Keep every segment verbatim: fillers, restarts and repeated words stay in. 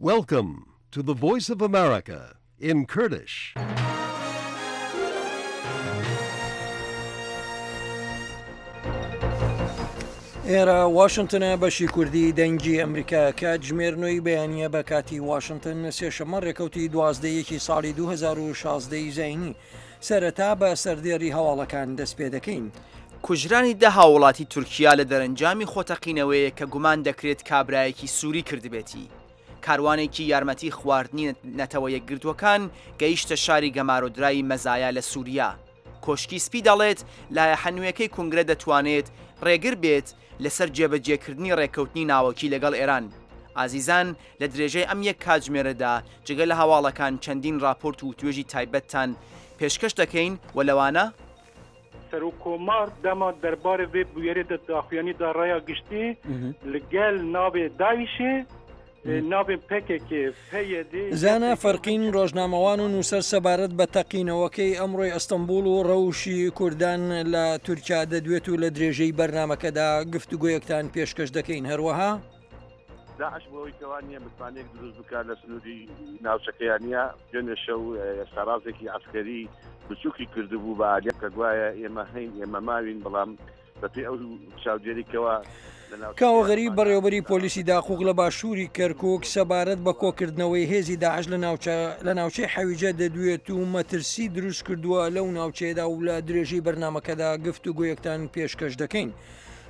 Welcome to the Voice of America in Kurdish. ئێرە واشنتنە بەشی کوردی دەنگی ئەمریکا کاتژمێر نۆی بەیانیە بە کاتی واشنتن سێشەممە ڕێکەوتی دوازدە یەکی ساڵی دوو هەزار و شازدە ی زایینی. سەرەتا بە سەردێڕی هەواڵەکان دەست پێ دەکەین. کوژرانی دە هاووڵاتی تورکیا لە دەرەنجامی خۆتەقینەوەیەک کە گومان دەکرێت کابرایەکی سوری کردبێتی. کاروانێکی یارمەتی خواردنی نەتەوە یەکگرتووەکان گەیشتە شاری گەمارۆدراوی مەزایا لە سوریا. کۆشکی سپی دەڵێت لایەحە نوێکەی کونگرە دەتوانێت ڕێگر بێت لەسەر جێبەجێکردنی ڕێککەوتنی ناوەکی لەگەڵ ئێران. ئازیزان لە درێژەی ئەم یەک کاتژمێرەدا جگە لە هەواڵەکان چەندین ڕاپۆرت و وتوێژی تایبەتتان پێشکەش دەکەین و لەوانە. Serokkomar dema derbarê vê bûyerê de daxuyanî da raya giştî li gel navê DAIŞ'ê navên pkk, pyd, زانا فەرقین ڕۆژنامەوان و نووسەر سەبارەت بە تەقینەوەکەی ئەمڕۆی ئەستەنبوڵ و ڕەوشی کوردان لە تورکیا دەدوێت و لە درێژەی بەرنامەکەدا گفتوگۆیەکتان پێشکەش دەکەین. هەروەها داعش بۆ ئەوەی کەوا نییە متمانەیەک دروست بکات لە سنووری ناوچەکەیان نییە، دوێنێ شەو سەرازێکی عەسکەری بچووکی کردبوو بە ئالیە کە گوایە ئێمە هەین ئێمە ماوین، بەڵام بەپێی ئەو چاودێریکەوە کاوە غەریب بەڕێوەبەری پۆلیسی داقوق لە باشووری کەرکوک سەبارەت بە کۆکردنەوەی هێزی داعش لە ناوچە لە ناوچەی حەویجە دەدوێت و مەترسی دروست کردووە لەو ناوچەیەدا و لە درێژەی بەرنامەکەدا گفتوگۆیەکتان پێشکەش دەکەین.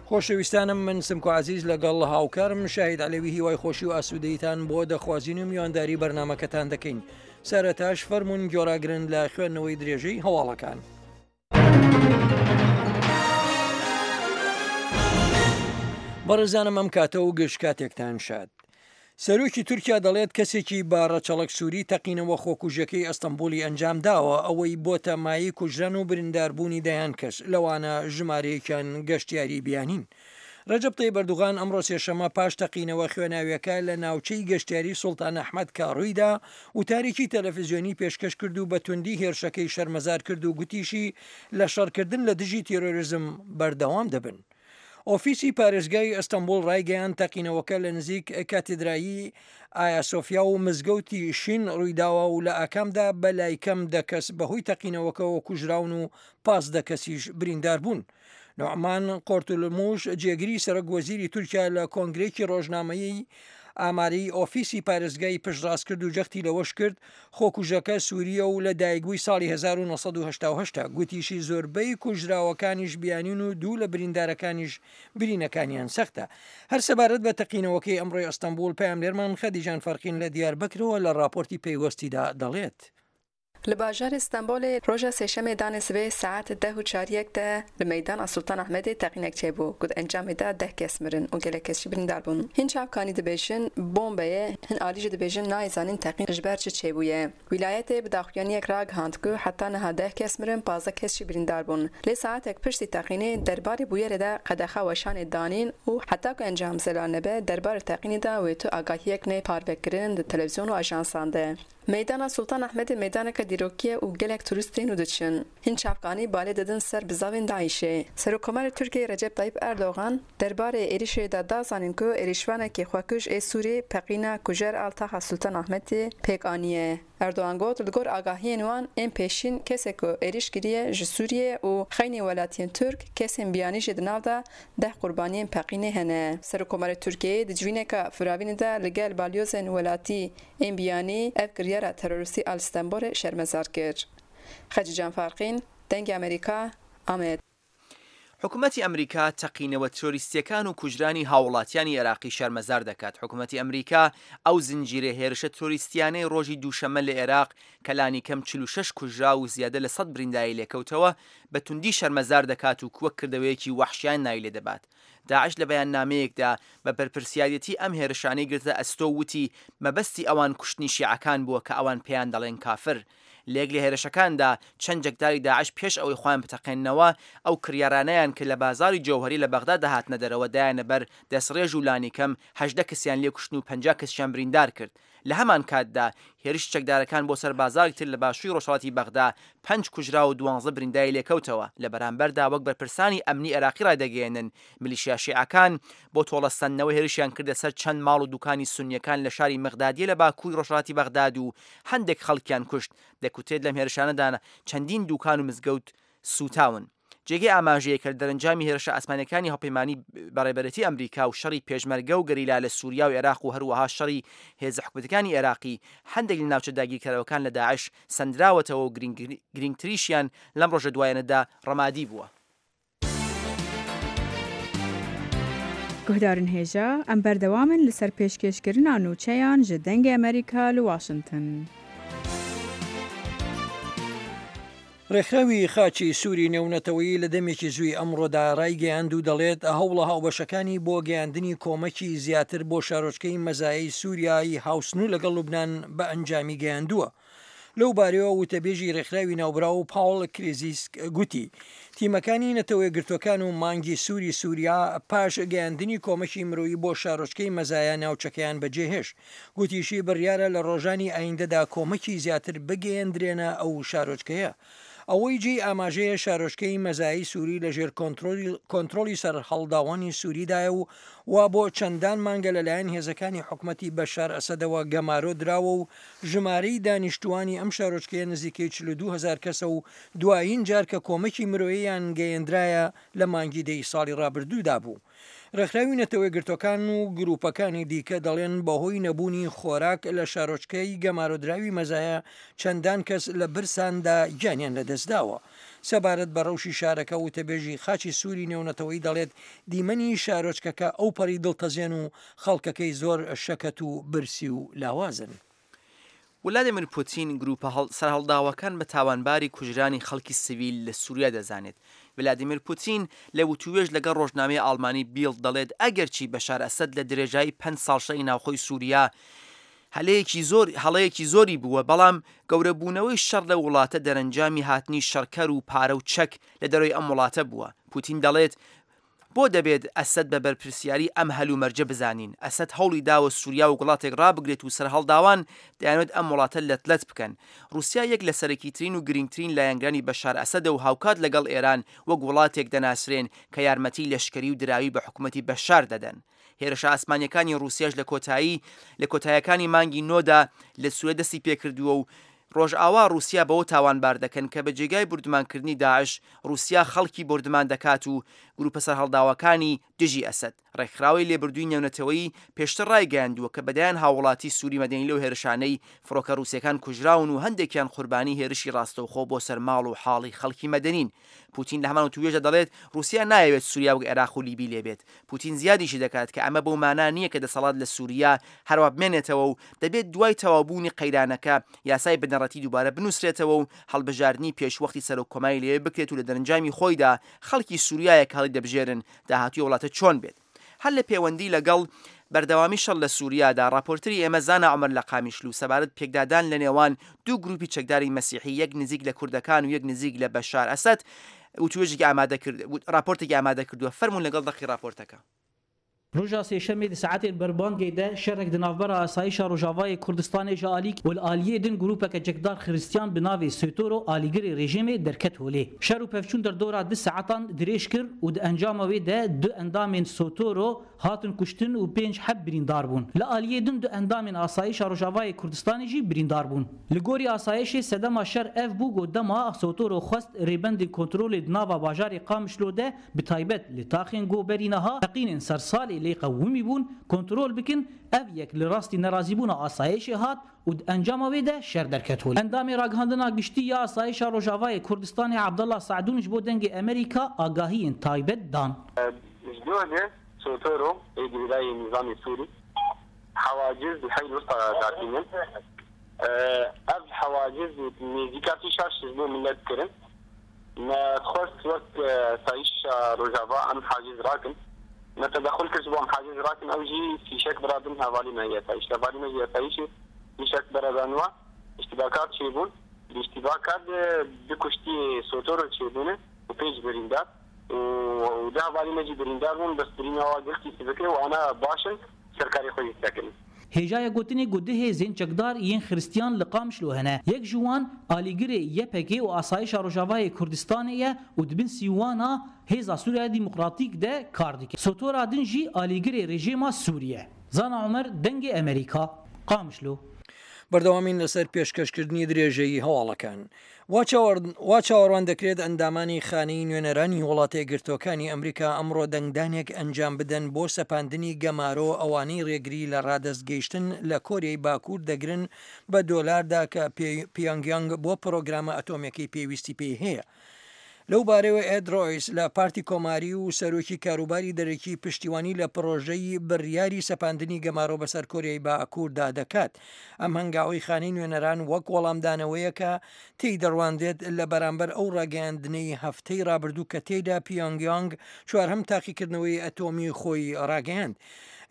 خۆشەویستانم من سمکۆ عەزیز لەگەڵ هاوکارم شاهید عەلەوی هیوای خۆشی و ئاسوودەیتان بۆ دەخوازین و میوانداری بەرنامەکەتان دەکەین. سەرەتاش فەرمونون گۆراگرن لە خوێندنەوەی درێژەی هەواڵەکان. بەڕێزانم ئەم کاتە و گشت کاتێکتان شاد. سەرۆکی تورکیا دەڵێت کەسێکی بە ڕەچەڵەک سووری تەقینەوە خۆکوژەکەی ئەستەنبوڵی ئەنجام داوە، ئەوەی بۆتە مایەی کوژران و برینداربوونی دەیان کەس، لەوانە ژمارەیەکیان گەشتیاری بیانین. ڕەجەب تەیب ئەردوغان ئەمڕۆ سێشەممە پاش تەقینەوە خوێناویەکە لە ناوچەی گەشتیاری سوڵتان ئەحمەد کە ڕوویدا، وتارێکی تەلەفزیۆنی پێشکەش کرد و بە توندی هێرشەکەی شەرمەزار کرد و گوتیشی لە شەڕکردن لە دژی تیرۆریزم بەردەوام دەبن. ئۆفیسی پارێزگای ئەستەنبوڵ ڕایگەیاند تەقینەوەکە لە نزیک کاتێدرایی ئایا سۆفیا و مزگەوتی شین ڕوویداوە و لە ئاکامدا بە لای کەم دە کەس بەهۆی تەقینەوەکەوە کوژراون و پازدە کەسیش بریندار بوون. نوعمان قۆرتولموش جێگری سەرۆک وەزیری تورکیا لە کۆنگرێکی ڕۆژنامەیی ئامارەی ئۆفیسی پارێزگای پشتڕاست کرد و جەختی لەوەش کرد خۆکوژەکە سووریە و لە دایکبووی ساڵی هەزار و نۆ سەد و هەشتا و هەشت گوتیشی زۆربەی کوژراوەکانیش بیانین و دوو لە بریندارەکانیش برینەکانیان سەختە. هەر سەبارەت بە تەقینەوەکەی ئەمڕۆی ئەستەنبوڵ پەیامنێرمان خەدیجان فەرقین لە دیاربەکرەوە لە ڕاپۆرتی پەیوەستیدا دەڵێت. Li bajarê Stenbolê roja sêşemê danê sibê saet deh û çariyek de li meydana Sultan Ahmedê teqînek çêbû ku di encamê de deh kes mirin û gelek kes jî birîndar bûn. Hin çavkanî dibêjin bombe ye, hin alî jî dibêjin nayê zanîn teqîn ji ber çi çêbûye. Wîlayetê bi daxuyaniyek ragihand ku heta niha deh kes mirin, pazdeh kes jî birîndar bûn. Lê saetek piştî teqînê derbarê bûyerê de qedexa weşanê danîn û heta ku encam zelal nebe derbarê teqînê de wê tu agahiyek neyê parvekirin di televîzyon û ajansan de. Meydana Sultan Ahmedê meydaneke dîrokî ye û gelek turîst tên û diçin. Hin çavkanî balê didin ser bizavên DAIŞ'ê. Serokkomarê Tirkiyeyê Recep Tayyip Erdogan derbarê êrişê de da zanîn ku êrişvanekî xwekuj ê Sûrî peqîna kujer a taxa Sultan Ahmedê pêk aniye. Erdogan got li gor agahiyên wan ên pêşîn kesek ku êriş kiriye ji Sûriyê û xeynê welatiyên Tirk kesên biyanî jî di nav de deh qurbaniyên peqînê hene. Serokkomarê Tirkiyeyê di civîneke firavînê de li gel balyozên welatî ên biyanî ev kiryara terorîstî a li Stenbolê şermezar kir. Xecîcan Farqîn, Dengê Amerîka, Amed. حکومەتی ئەمریکا تەقینەوە ترۆریستیەکان و کوژرانی هاوڵاتیانی عێراقی شەرمەزار دەکات. حکومەتی ئەمریکا ئەو زنجیرە هێرشە ترۆریستیانەی ڕۆژی دووشەممە لە عێراق کە لانیکەم چل و شەش کوژراو و زیادە لە سەد برینداری لێکەوتەوە بە توندی شەرمەزار دەکات و وەک کردەوەیەکی وەحشیان ناوی لێدەبات. داعش لە بەیاننامەیەکدا بە بەرپرسیارێتی ئەم هێرشانەی گرتە ئەستۆ وتی مەبەستی ئەوان کوشتنی شیعەکان بووە کە ئەوان پێیان دەڵێن کافر. لە یەک لە هێرشەکاندا چەند چەکداری داعش پێش ئەوەی خۆیان بتەقێننەوە ئەو کڕیارانەیان کە لە بازاڕی جەوهەری لە بەغدا دەهاتنە دەرەوە دایانە بەر دەستڕێژ و لانیکەم هەژدە کەسیان لێکوشتن و پەنجا کەسیان بریندار کرد. لە هەمان کاتدا هێرشی چەکدارەکان بۆ سەر بازاڕێکی تر لە باشووری ڕۆژهەڵاتی بەغدا پەنج کوژراو و دوانزە برینداری لێکەوتەوە. لە بەرامبەردا وەک بەرپرسانی ئەمنی عێراقی ڕایدەگەیەنن میلیشیا شیعەکان بۆ تۆڵەسەندنەوە هێرشیان کردە سەر چەند ماڵ و دوکانی سونیەکان لە شاری مقدادیە لە باکووری ڕۆژهەڵاتی بەغداد و هەندێک خەڵکیان کوشت. دەکوترێت لەم هێرشانەدا چەندین دوکان و مزگەوت سووتاون. جێگەی ئاماژەیە کە لە دەرەنجامی هێرشە ئاسمانیەکانی هاوپەیمانی بە ڕێبەرێتی ئەمریکا و شەڕی پێشمەرگە و گەریلا لە سوریا و عێراق و هەروەها شەڕی هێزە حکومەتەکانی عێراقی هەندێک لە ناوچە داگیرکەرەوەکان لە داعش سەندراوەتەوە و گرنگتریشیان لەم ڕۆژە دوایانەدا ڕەمادی بووە. گوهدارن هێژا ئەم بەردەوامن لەسەر پێشکێشکردنا نوچەیان ji دەنگê ئەمریکا li Washington. ڕێکخراوی خاچی سووری نێونەتەوەیی لە دەمێکی زووی ئەمڕۆدا ڕایگەیاند و دەڵێت هەوڵە هاوبەشەکانی بۆ گەیاندنی کۆمەکی زیاتر بۆ شارۆچکەی مەزایەی سووریای هاوسنوور لەگەڵ لوبناان بە ئەنجامی گەیاندووە. لەو بارەیەوە وتەبێژی ڕێکخراوی ناوبراو پاوڵ کریزیسک گوتی تیمەکانی نەتەوە یەکگرتووەکان و مانگی سووری سووریا پاش گەیاندنی کۆمەکی مرۆیی بۆ شارۆچکەی مەزایە ناوچەکەیان بەجێهێشت. گوتیشی بڕیارە لە ڕۆژانی ئایندەدا کۆمەکی زیاتر بگەیەندرێنە ئەو شارۆچکەیە. ئەوەی جێی ئاماژەیە شارۆچکەی مەزایی سووری لەژێر کۆنترۆڵی سەرهەڵداوانی سووریدایە و وا بۆ چەندان مانگە لەلایەن هێزەکانی حکومەتی بەشار ئەسەدەوە گەمارۆ دراوە و ژمارەی دانیشتوانی ئەم شارۆچکەیە نزیکەی چل و دوو هەزار کەسە و دوایین جار کە کۆمەکی مرۆییان گەیەندرایە لە مانگی دەی ساڵی ڕابردوودا بوو. ڕێکخراوی نەتەوە یەکگرتووەکان و گروپەکانی دیکە دەڵێن بەهۆی نەبوونی خۆراک لە شارۆچکەی گەمارۆدراوی مەزایە چەندان کەس لە برساندا گیانیان لەدەستداوە. سەبارەت بە ڕەوشی شارەکە وتەبێژی خاچی سووری نێونەتەوەی دەڵێت دیمەنی شارۆچکەکە ئەو پەڕی دڵتەزێن و خەڵکەکەی زۆر شەکەت و برسی و لاوازن. ولادیمیر پوتین گروپە سەرهەڵداوەکان بە تاوانباری کوژرانی خەڵکی سیڤیل لە سووریا دەزانێت. ولادیمیر پوتین لە وتوێژ لەگەڵ ڕۆژنامەی ئاڵمانی بیڵد دەڵێت ئەگەرچی بەشار ئەسەد لە درێژایی پەنج ساڵ شەڕی ناوخۆی سووریا هەلەیەکی زۆر هەڵەیەکی زۆری بووە، بەڵام گەورەبوونەوەی شەڕ لە وڵاتە دەرەنجامی هاتنی شەڕکەر و پارە و چەک لە دەرەوەی ئەم وڵاتە بووە. پوتین دەڵێت بۆ دەبێت ئەسەد بە بەرپرسیاری ئەم هەلومەرجە بزانین. ئەسەد هەوڵی داوە سووریا و وڵاتێک ڕابگرێت و سەرهەڵداوان دەیانوێت ئەم وڵاتە لەتلەت بکەن. رووسیا یەک لە سەرەکیترین و گرنگترین لایەنگرانی بەشار ئەسەدە و هاوکات لەگەڵ ئێران وەک وڵاتێک دەناسرێن کە یارمەتی لەشکری و دراوی بە حکوومەتی بەشار دەدەن. هێرشە ئاسمانیەکانی رووسیاش لە کۆتایی لە کۆتایەکانی مانگی نۆدا لە سووریا دەستی پێکردووە و ڕۆژئاوا رووسیا بەوە تاوانبار دەکەن کە بە جێگای بردمانکردنی داعش رووسیا خەڵکی بردمان دەکات و گروپە سەرهەڵداوەکانی دژی ئەسەد. ڕێکخراوەی لێبردووی نێونەتەوەیی پێشتر ڕایگەیاندووە کە بەدایان هاوڵاتی سووری مەدەنی لەو هێرشانەی فڕۆکە رووسیەکان کوژراون و هەندێکیان قوربانی هێرشی ڕاستەوخۆ بۆ سەر ماڵ و حاڵی خەڵکی مەدەنین. پوتین لە هەمان وتوێژە دەڵێت رووسیا نایەوێت سووریا وەک عێراق و لیبی لێبێت. پوتین زیادیشی دەکات کە ئەمە بەو مانا نییە کە دەسەڵات لە سووریا هەروە بمێنێتەوە و دەبێت دوای تەواوبوونی قەیرانەکە یاسای بنەڕەتی دووبارە بنووسرێتەوە و هەڵبژاردنی پێشوەختی سەرۆک کۆماری لێ بکرێت و لە دەرەنجامی خۆیدا خەڵکی سووریایە کە هەڵی دەبژێرن داهاتووی وڵاتە چۆن بێت. هەر لە پەیوەندی لەگەڵ بەردەوامی شەڕ لە سووریادا راپۆرتری ئێمە زانا عومەر لە قامیشلو سەبارەت پێکدادان لە نێوان دوو گروپی چەکداری مەسیحی یەک نزیک لە کوردەکان و یەک نزیک لە بەشار ئەسەد وتوێژێکی ئامادە کرد راپۆرتێکی ئامادە کردووە. فەرموون لەگەڵ دەقی راپۆرتەکە. ڕۆژا سێشەمێ di saetên berbangê de şerek di navbera asayişa Rojavayê Kurdistanê ji alî û li aliyê din grûpeke çekdar Xristiyan bi navê Sotoro alîgirê rejîmê derket holê. Şer û pevçûn derdora du saetan dirêj kir û di encama wê de du endamên Sotoro hatin kuştin û pênc heb birîndar bûn. Li aliyê din du endamên asayişa Rojavayê Kurdistanê jî birîndar bûn. Li gorî asayişê sedema şer ev bû ku dema Sotoro xwest rêbendên kontrolê di nava bajarê Qamişlo de bi taybet li taxên goberî niha teqînên sersalê lê qewimî bûn kontrol bikin ev yek li rastî nerazîbûna asayişê hat û di encama wê de şer derket holê. Endamê ragihandina giştî ya asayişa Rojavayê Kurdistanê Abdullah Saadûn ji bo dengê Amerîka agahiyên taybet dan. سوتورو girêdayê nizamê Sûrî حواجز li الوسطى datînin. Ev حواجز nêzîkatî şaş ji bo millet kirin. Me dixwest wek sayîşa Rojava em haciz rakin. Me tedexul kir ji bo em haciz rakin ew jî fîşek biradin hevalî me ye sayîş. Hevalî me ye sayîşê fîşek beradan wa îştibakat çêbûn. Di îştîbaka de du kuştiyê Sotoro çêbûne û pênc birîndar û deh hevalên me jî birîndar bûn bes birîna wan gelkî sivik e û ana baş in ser karê xwe jî disekin. Hêjaya gotinê ku du hêzên çekdar yên Xiristiyan li Qamişlo hene. Yek ji wan alîgirê Y P G û Asayişa Rojavayê Kurdistanê ye û di bin sîwana Hêza Sûriya Demokratîk de kar dike. Sotora din jî alîgirê rejîma Sûrî ye. Zana Omer, Dengê Amerîka, Qamişlo. بەردەوامین لەسەر پێشکەشکردنی درێژەی هەواڵەکان. وا چاوەڕوان دەکرێت ئەندامانی خانەی نوێنەرانی وڵاتە یەکگرتووەکانی ئەمریکا ئەمڕۆ دەنگدانێک ئەنجام بدەن بۆ سەپاندنی گەمارۆ ئەوانەی ڕێگری لە ڕادەست گەیشتن لە کۆریای باکوور دەگرن بە دۆلاردا کە پیۆنگیانگ بۆ پرۆگرامە ئەتۆمیەکەی پێویستی پێی هەیە. لەو بارەیەوە ئێد ڕۆیس لە پارتی کۆماری و سەرۆکی کاروباری دەرەکی پشتیوانی لە پرۆژەی بڕیاری سەپاندنی گەمارۆ بەسەر کۆریای باکووردا دەکات. ئەم هەنگاوەی خانەی نوێنەران وەک وەڵامدانەوەیەکە تێی دەڕواندێت لە بەرامبەر ئەو ڕاگەیاندنەی هەفتەی ڕابردوو کە تێیدا پیۆنگیانگ چوارهەم تاقیکردنەوەی ئەتۆمی خۆی ڕاگەیاند.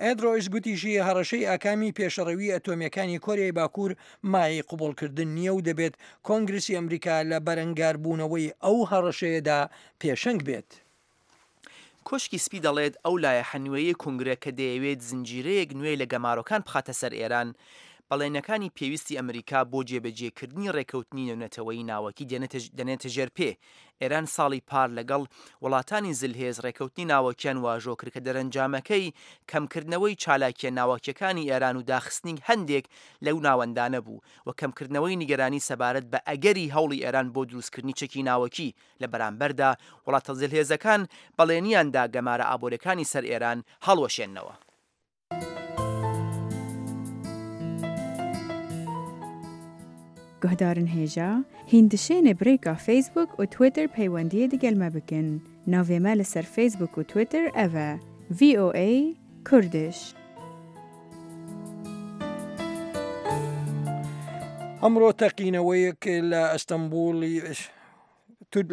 ئێد ڕۆیس گوتیشی هەڕەشەی ئاکامی پێشەڕەوی ئەتۆمیەکانی کۆریای باکوور مایەی قبوڵکردن نییە و دەبێت کۆنگرسی ئەمریکا لە بەرەنگاربوونەوەی ئەو هەڕەشەیەدا پێشەنگ بێت. کۆشکی سپی دەڵێت ئەو لایەحە نوێیەی کۆنگرە کە دەیەوێت زنجیرەیەک نوێ لە گەمارۆکان بخاتە سەر ئێران، بەڵێنەکانی پێویستی ئەمریکا بۆ جێبەجێکردنی ڕێکەوتنی نێونەتەوەیی ناوەکی دەنێتە ژێر پێ. ئێران ساڵی پار لەگەڵ وڵاتانی زلهێز ڕێکەوتنی ناوەکیان واژۆ کرد کە دەرەنجامەکەی کەمکردنەوەی چالاکیە ناوەکیەکانی ئێران و داخستنی هەندێک لەو ناوەندانە بوو و کەمکردنەوەی نیگەرانی سەبارەت بە ئەگەری هەوڵی ئێران بۆ دروستکردنی چەکی ناوەکی. لە بەرامبەردا وڵاتە زلهێزەکان بەڵێنیاندا گەمارە ئابووریەکانی سەر ئێران هەڵوەشێننەوە. Guhdarên hêja, hûn dişêne bi rêka Facebook û Twitter peywendiyê digel me bikin. Navê me li ser Facebook û Twitter ev e: V O A Kurdish. ئەمڕۆ تەقینەوەیەک لە ئەستەنبوڵی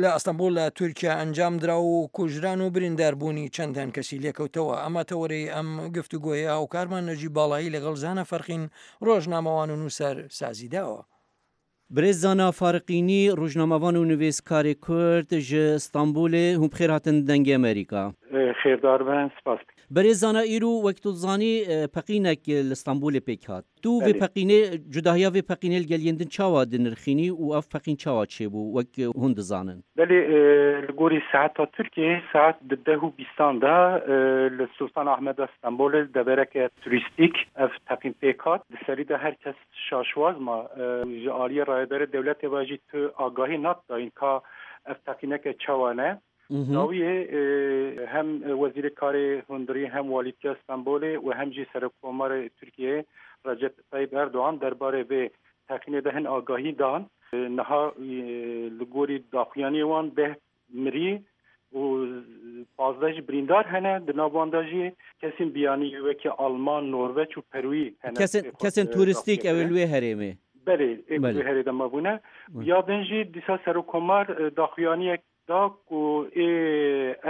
لە ئەستەنبوڵ لە تورکیا ئەنجام درا و کوژران و برینداربوونی چەندان کەسی لێکەوتەوە. ئەمە تەوەرەی ئەم گفتوگۆیە هاوکارمان نەجیب باڵایی لەگەڵ زانە فەرقین ڕۆژنامەوان و نووسەر سازی داوە. برێز زانا فارقینی ڕۆژنامەوان و نوێسکاری کورد ji Stenbolê hûn bi xêr hatin Dengê Amerîka. Xêrdar bin, spas. Berêz Zana îro wek tu dizanî peqînek li Stenbolê pêk hat. Tu vê peqînê cudahiya vê peqînê li gel yên din çawa dinirxînî û ev peqîn çawa çêbû wek hûn dizanin? Belê li gorî saeta Tirkiyeyê saet di deh û bîstan de li Sultan Ahmeda Stenbolê devereke turîstîk ev teqîn pêk hat. Di serî de her kes şaşwaz ma ji aliyê rayedarê dewletê ve jî tu agahî nat dayîn ka ev teqîneke çawa ne. Dawiyê hem Wezîrê Karê Hundirî hem Walîtiya Stenbolê û hem jî Serokkomarê Tirkiyeyê Recep Tayyip Erdoğan derbarê vê teqînê de hin agahî dan. Niha li gorî daxuyaniyê wan deh mirî û pazdeh jî birîndar hene di nav wan de jî kesên biyanî wekî Alman, Norveç û Perûyî hene. Kesên kesên turîstîk ew li wê herêmê. Belê, ê wê herê de mabûne. Ya din jî dîsa Serokkomar daxuyaniyek da ku ê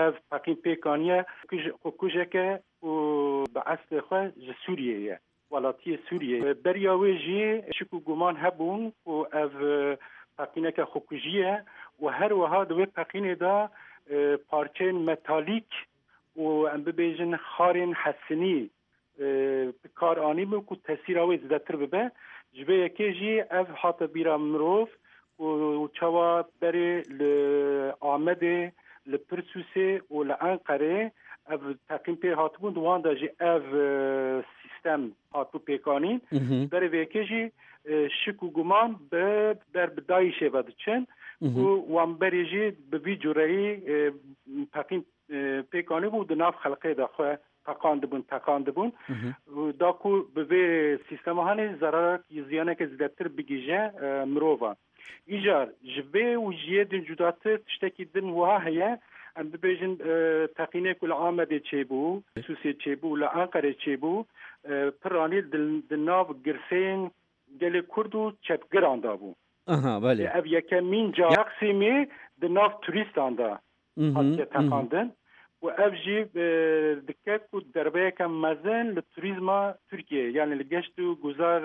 ev peqîn pêk aniye xwekujeke û bi eslê xwe ji Sûriyeyê ye, welatiyê Sûriyeyê. Beriya wê jî şik û guman hebûn ku ev peqîneke xwekujî ye û her wiha di wê peqînê de parçeyên metalîk û em bibêjin xarên hesinî bi kar anîbû ku tesîra wê zêdetir bibe. Ji vê yekê jî ev hate bîra mirov û çawa berê li Amedê, li Pirsûsê û li Enqerê ev teqîn pê hatibûn di wan de jî ev sîstem hatibû pêkanîn. Berê vê yekê jî şik û guman bi ber bi DAIŞê ve diçin û wan berê jî bi vî cureyî peqîn pêk anîbû di nav xelqê de xwe teqandibûn teqandibûn da ku bi vê sîstema hanê zerarek ziyaneke zêdetir bigihîje mirovan. Îcar ji vê û ji yê din cudatir tiştekî din wiha heye em bibêjin teqînê ku li Amedê çêbû, Sûsê çêbû, li Enqerê çêbû piranî di nav girseyên gelê Kurd û çepgiran da bû. Aha, belê. Ev yekemîn car Taksîmê di nav turîstan de hatiye teqandin û ev jî dike ku derbeyeke mezin li turîzma Tirkiyeyê yani li geşt û guzar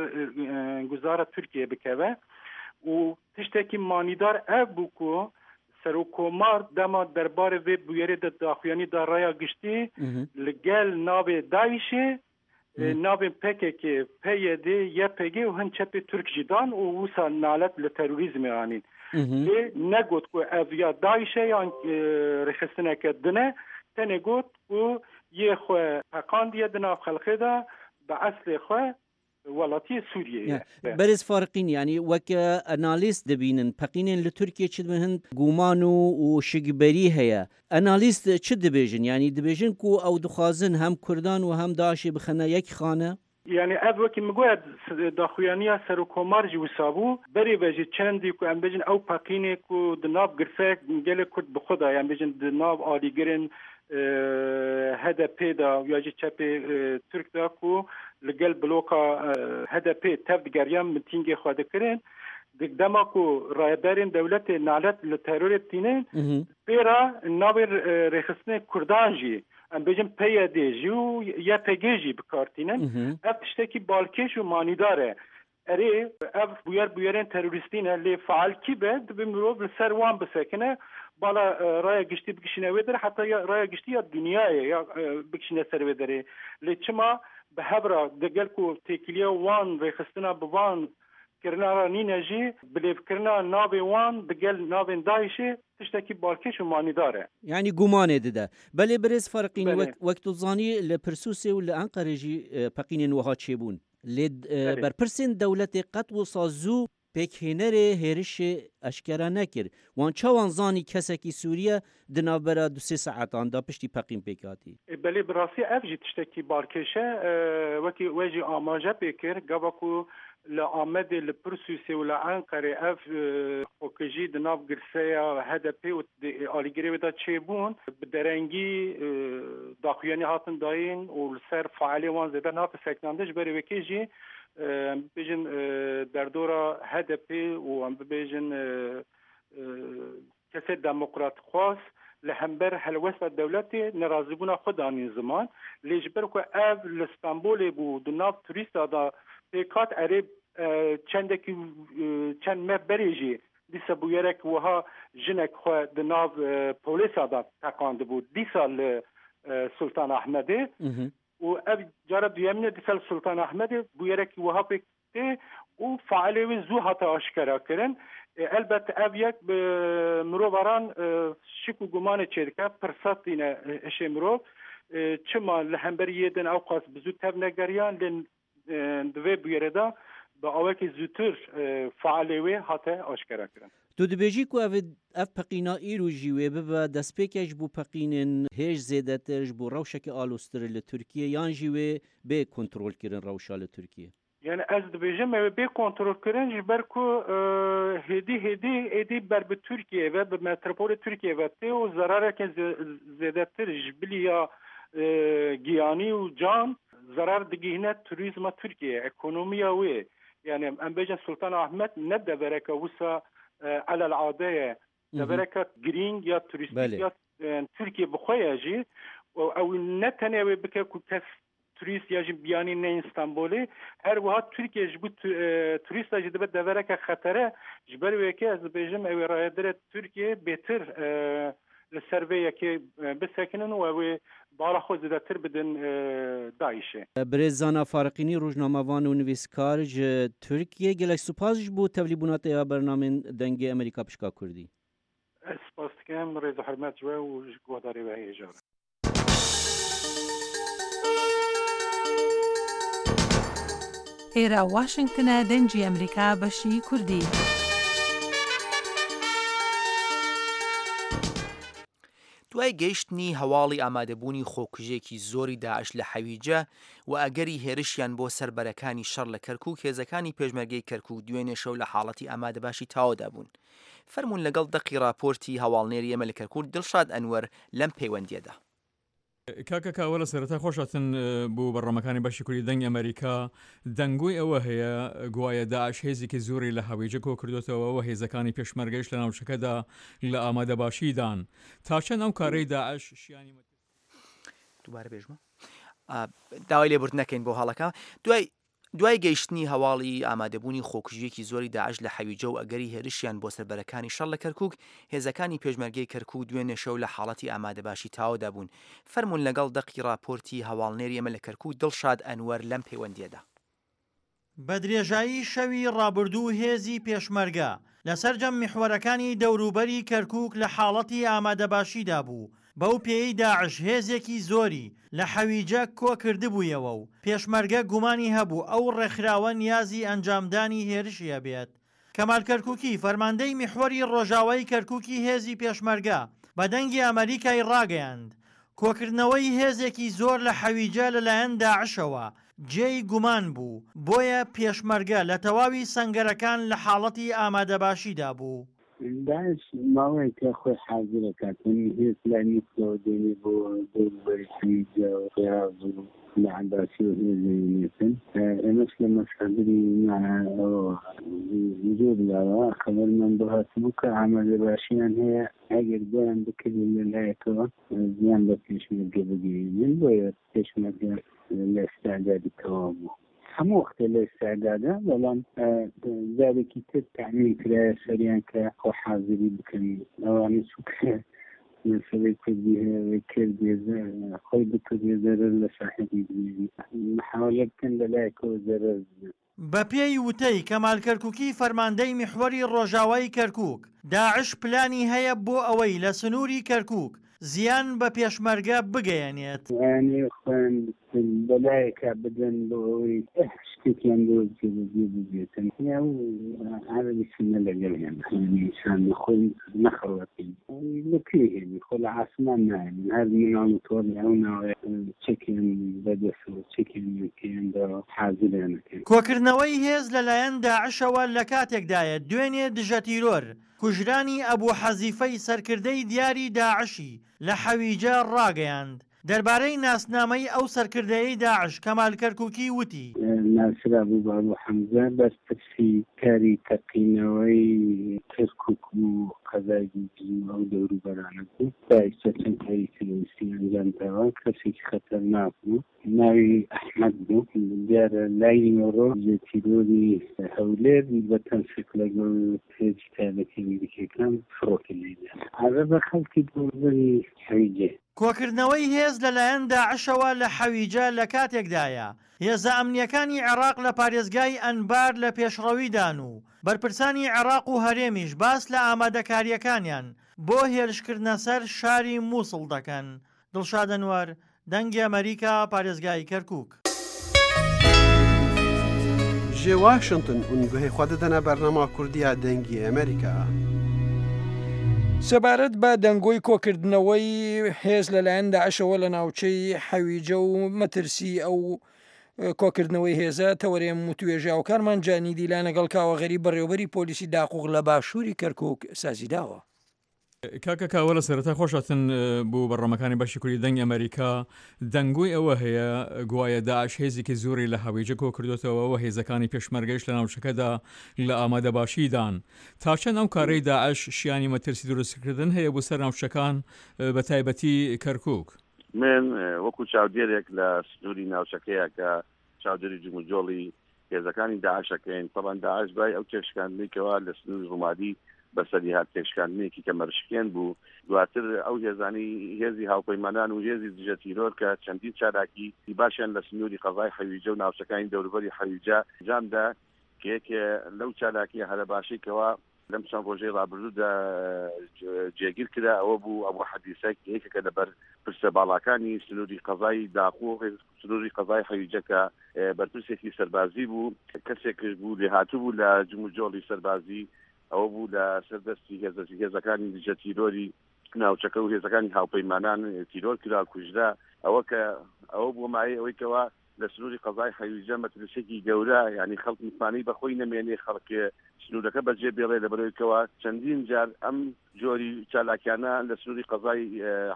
guzara Tirkiyeyê bikeve. Û tiştekî manîdar ev bû ku Serokkomar dema derbarê vê bûyerê de daxuyanî da raya giştî li gel navê DAIŞ'ê navên P K K, P Y D, Y P G û hin çepê Tirk jî dan û wisa nalet li terorîzmê anîn. Lê negot ku ev ya DAIŞ e yan rêxistineke din e, tenê got ku yê xwe peqandiye di nav xelkê de bi eslê xwe welatiyê Sûriyeyê ye. Berêz Fariqîn yanî weke analîst dibînin peqînên li Tirkiyê çi dibin hin guman û û şikberî heye. Analîst çi dibêjin? Yanî dibêjin ku ew dixwazin hem Kurdan û hem DAIŞ'ê bixine yek xane? Yanî ev wekî min got daxuyaniya Serokkomar jî wisa bû. Berê ve jî çendî ku em bêjin ew peqînê ku di nav girseyek gelê Kurd bi xwe de yan bêjin di nav alîgirên H D P de ya jî çepê Tirk de ku li gel bloka H D P tev digeriyan mitîngê xwe dikirin. Di dema ku rayedarên dewletê nalet li terorê tînin pê re navê rêxistinê Kurdan jî em bêjin P Y D jî û Y P G jî bikar tînin. Ev tiştekî balkêş û manîdar e. Erê ev bûyer bûyerên terorîstî ne lê faal kî be dibe mirov li ser wan bisekine bala raya giştî bikişîne wê derê heta ya raya giştî ya dünyayê ya bikişîne ser wê derê. Lê çima bi hev re digel ku têkiliya wan rêxistina bi van kirina re nîne jî bilêvkirina navê wan digel navên DAIŞ'ê tiştekî balkêş û manîdar e. Yanî gumanê dide. Belê birêz Fariqîn Belê. wek wek tu zanî li Pirsûsê û li Enqerê jî peqînên wiha çêbûn. Lê Belê. berpirsên dewletê qet wisa zû pêkhênerê hêrişê eşkere nekir. Wan çawan zanî kesekî Sûriye di navbera du sê saetan de piştî peqîn pêk hatî? Belê bi rastî ev jî tiştekî balkêş e. Wekî we jî amaje pê kir gava ku li Amedê li Pirsûsê û li Enqerê ev xwekujî di nav girseya H D P û alîgirê wê de çêbûn bi derengî daxuyanî hatin dayîn û li ser faelê wan zêde nehate sekinandin ji berê wekê jî em bibêjin derdora H D P û em bibêjin kesê demokratxwaz li hember helwesta dewletê nerazîbûna xwe danîn ziman. Lê ji ber ku ev li Stenbolê bû di nav turîsta de pêk hat erê çendekî çend meh berê jî dîsa bûyerek wiha jinek xwe di nav polêsa de teqandibû dîsa li Sultan Ahmedê û ev cara duyemîne dîsa li Sultan Ahmedê bûyerek wiha pêk tê û faelê wê zû hate aşkera kirin. Elbet ev yek bi mirovaran şik û gumanê çêdike pirsat tîne hişê mirov. Çima li hemberî yê din ewqas bi zû tev negeriyan lê di vê bûyerê de bi awekî zûtir faelê wê hate aşkera kirin. Tu dibêjî ku ev ev peqîna îro jî wê bibe destpêkê ji bo peqînên hêj zêdetir ji bo rewşeke aloztir li Tirkiye yan jî wê bê kontrolkirin rewşa li Tirkiye? Yani ez dibêjim ew ê bê kontrolkirin ji ber ku hêdî hêdî êdî ber bi Tirkiyeyê ve bi metropolê Tirkiyeyê ve tê û zerareke zêdetir ji bilî ya giyanî û can zerar digihîne turîzma Tirkiyeyê, ekonomiya wê. Yani em bêjin Sultan Ahmed ne devereke wisa elel ade ye, devereke girîng ya turîstîk ya Tirkiye bi xwe ye jî ew ne tenê wê bike ku kes turîst ya jî biyanî neyên Stenbolê her wiha Tirkiye ji bo turîsta jî dibe devereke xetere ji ber wê yekê ez dibêjim ew ê rayedarê Tirkiye bêtir li ser vê yekê bisekinin û ew ê bala xwe zêdetir bidin DAIŞ'ê. Birêz Zana Fariqînî rojnamevan û nivîskar ji Tirkiye gelek spas ji bo tevlîbûna te ya bernameyên Dengê Amerîka Pişka Kurdî. Ez spas dikim rêz û hurmet ji we û ji guhdarê we hêja re. ئێرە واشنگتنە دەنگی ئەمریکا بەشی کوردی. دوای گەیشتنی هەواڵی ئامادەبوونی خۆکوژێکی زۆری داعش لە حەویجە و ئەگەری هێرشیان بۆ سەر بەرەکانی شەڕ لە کەرکوک هێزەکانی پێشمەرگەی کەرکوک دوێنێ شەو لە حاڵەتی ئامادەباشی تەواودا بوون. فەرموون لەگەڵ دەقی راپۆرتی هەواڵنێری ئێمە لە کەرکوک دڵشاد ئەنوەر لەم پەیوەندیەدا. کاکە کاوە لە سەرەتا خۆشاتن بۆ بەڕەمەکانی بەشی کوردی دەنگ ئەمریکا دەنگۆی ئەوە هەیە گوایە داعش هێزێکی زۆری لە حەویجە کۆ کردوتەوە و هێزەکانی پێشمەرگەیش لە ناوچەکەدا لە ئامادەباشیدان. تا چەند ئەو کارەی داعش شیانی دووبارە بێژمە داوای لێبوردن نەکەین بۆ هەڵەکە. دوای دوای گەیشتنی هەواڵی ئامادەبوونی خۆکوژییەکی زۆری داعش لە حەویجە و ئەگەری هێرشیان بۆ سەر بەرەکانی شەڕ لە کەرکووک، هێزەکانی پێشمەرگەی کەرکووک دوێنێ شەو لە حاڵەتی ئامادەباشی تەواودا بوون. فەرموون لەگەڵ دەقی ڕاپۆرتی هەواڵنێری ئێمە لە کەرکووک دڵشاد ئەنوەر لەم پەیوەندییەدا. بە درێژایی شەوی ڕابردوو هێزی پێشمەرگە لە سەرجەم میحوەرەکانی دەوروبەری کەرکووک لە حاڵەتی ئامادەباشیدا بوو، بەو پێیەی داعش هێزێکی زۆری لە حەویجە کۆکردبوویەوە و پێشمەرگە گومانی هەبوو ئەو ڕێکخراوە نیازی ئەنجامدانی هێرشی هەبێت. کەمال کەرکوکی، فەرماندەی میحوەری ڕۆژاوای کەرکوکی هێزی پێشمەرگە بە دەنگی ئەمەریکای ڕاگەیاند، کۆکردنەوەی هێزێکی زۆر لە حەویجە لەلایەن داعشەوە جێی گومان بوو، بۆیە پێشمەرگە لە تەواوی سەنگەرەکان لە حاڵەتی ئامادەباشیدا بوو. داعش ماوەیەکە خۆی حازر ئەکات و هێز لای موسڵەوە دێنێ بۆ دەوروبەری حەویجە و ڕیاض و لە عەباسی و هێز دەهێنێتن. ئێمەش لە مەسادری ئەوەوە زۆر لاوە خەبەرمان بۆ هاتبوو کە ئامادەباشیان هەیە ئەگەر بۆیان بکرێت لە لایەکەوە زیان بە پێشمەرگە بگەیەنن، بۆیە پێشمەرگە لە ئیستعدادی تەواو بوو. هەموو وەختێ لە ئیستعدادە، بەڵام جارێکی تر تەعمیم کرایە سەریان کە خۆ حازری بکەن. ئەوانە چونکە مەسەلەی کوردی هەیە ئەوەی کردێ خۆی بکردێ زەرەر لە ساحێبی بگەیەنێ، محاوەلە بکەن لە لایەکەوە زەرەر بدەن. بەپێی وتەی کەمال کەرکوکی فەرماندەی میحوەری ڕۆژاوای کەرکوک، داعش پلانی هەیە بۆ ئەوەی لە سنوری کەرکوک زیان بە پێشمەرگە بگەیەنێت. ئەیانەوێت خۆیان بەلایەکا بدەن بۆ ئەوەی شتێکیان بۆ جێبەجێ ببێتن. ئەو عەرەبی سوننە لەگەڵ ئێمە یانی ئینسان خۆی نەخەڵەتێن. لە کوێ هێنی؟ خۆ لە عاسمان نایەنن. هەر مناڵ و تۆڵی ئەو ناوەیە چەکیان بەدەستەوە، چەکیان پێیان داوە، حازریان ئەکەن. کۆکردنەوەی هێز لەلایەن داعشەوە لەکاتێکدایە دوێنێ دژەتیرۆر کوژرانی ئەبو حەزیفەی سەرکردەی دیاری داعشی لە حەویجە ڕاگەیاند. دەربارەی ناسنامەی ئەو سەرکردەیەی داعش کەمال کەرکوکی وتی. ناسرابوو بە ئەبو حەمزە، بەرپرسی کاری تەقینەوەی کەرکوک و قەزای دووبز و ئەو دەوروبەرانە بوو. تا ئیستا چەند کاری تیرۆریستی ئەنجام داوە، کەسێکی خەتەرناک بوو. ناوی ئەحمەد بوو. دیارە لای نیوەڕۆ لە تیرۆری هەولێر بە تەنسیق لەگەڵ هێزی تایبەتی ئەمریکیەکان فڕۆکە لێیدا. عەرەبە خەڵکی دەوروبەری حەویجەیە. کۆکردنەوەی هێز لەلایەن داعشەوە لە حەویجە لە کاتێکدایە، هێزە ئەمنییەکانی عێراق لە پارێزگای ئەنبار لە پێشڕەویدان و بەرپرسانی عێراق و هەرێمیش باس لە ئامادەکارییەکانیان بۆ هێرشکردنە سەر شاری موسڵ دەکەن. دڵشاد ئەنوەر، دەنگی ئەمەریکا، پارێزگای کەرکوک. Ji Washington hûn guhê xwe didine bernama Kurdî ya Dengê Amerîka. سەبارەت بە دەنگۆی کۆکردنەوەی هێز لەلایەن داعشەوە لە ناوچەی حەویجە و مەترسی ئەو کۆکردنەوەی هێزە تەوەرێم وتوێژاوکارمان جانی دیلان لەگەڵ کاوە غەریب بەڕێوەبەری پۆلیسی داقوق لە باشووری کەرکوک سازیداوە. کاکە کاوە لە سەرەتا خۆشاتن بۆ بەڕەمەکانی بەشی کوردی دەنگ ئەمریکا دەنگۆی ئەوە هەیە گوایە داعش هێزێکی زۆری لە حەویجە کۆ کردوێتەوە و هێزەکانی پێشمەرگەیش لە ناوچەکەدا لە ئامادەباشیدان تا چەند ئەو کارەی داعش شیانی مەترسی دروستکردن هەیە بۆ سەر ناوچەکان بە تایبەتی کەرکک؟ من وەکو چاودێرێک لە سنووری ناوچەکەیە کە چاودێری جموجۆڵی هێزەکانی داعشەکەین، تەبعەن داعش دوای ئەو تێکشکاندنەی کەوا لە سنووری ڕومادی بەسەری هات تێکشکاندنێکی کەمەرشکێن بوو، دواتر ئەو هێزانەی هێزی هاوپەیمانان و هێزی دژە تیرۆر کە چەندین چالاکی باشیان لە سنووری قەزای حەویجە و ناوچەکانی دەوروبەری حەویجە ئەنجامدا کە یەکێ لەو چالاکیە هەرە باشەی کەوا لەم چەند ڕۆژەی ڕابردوودا جێگیر کرا ئەوە بوو ئەبو حەدیسە کە یەکێکە لە بەرپرسە باڵاکانی سنووری قەزای داقوق سنووری قەزای حەویجە کە بەرپرسێکی سەربازی بوو کەسێکش بوو لێهاتوو بوو لە جموجۆڵی سەربازی ئەوە بوو لە سەر دەستی هێزە هێزەکانی دژە تیرۆری ناوچەکە و هێزەکانی هاوپەیمانان تیرۆر کرا کوژرا ئەوە کە ئەوە بووە مایەی ئەوەی کەوا لە سنووری قەزای حەویجە مەترسییەکی گەورە یانی خەڵک متمانەی بە خۆی نەمێنێ خەڵک سنوورەکە بەجێ بێڵێ لەبەرەوەی کەوا چەندین جار ئەم جۆری چالاکیانە لە سنووری قەزای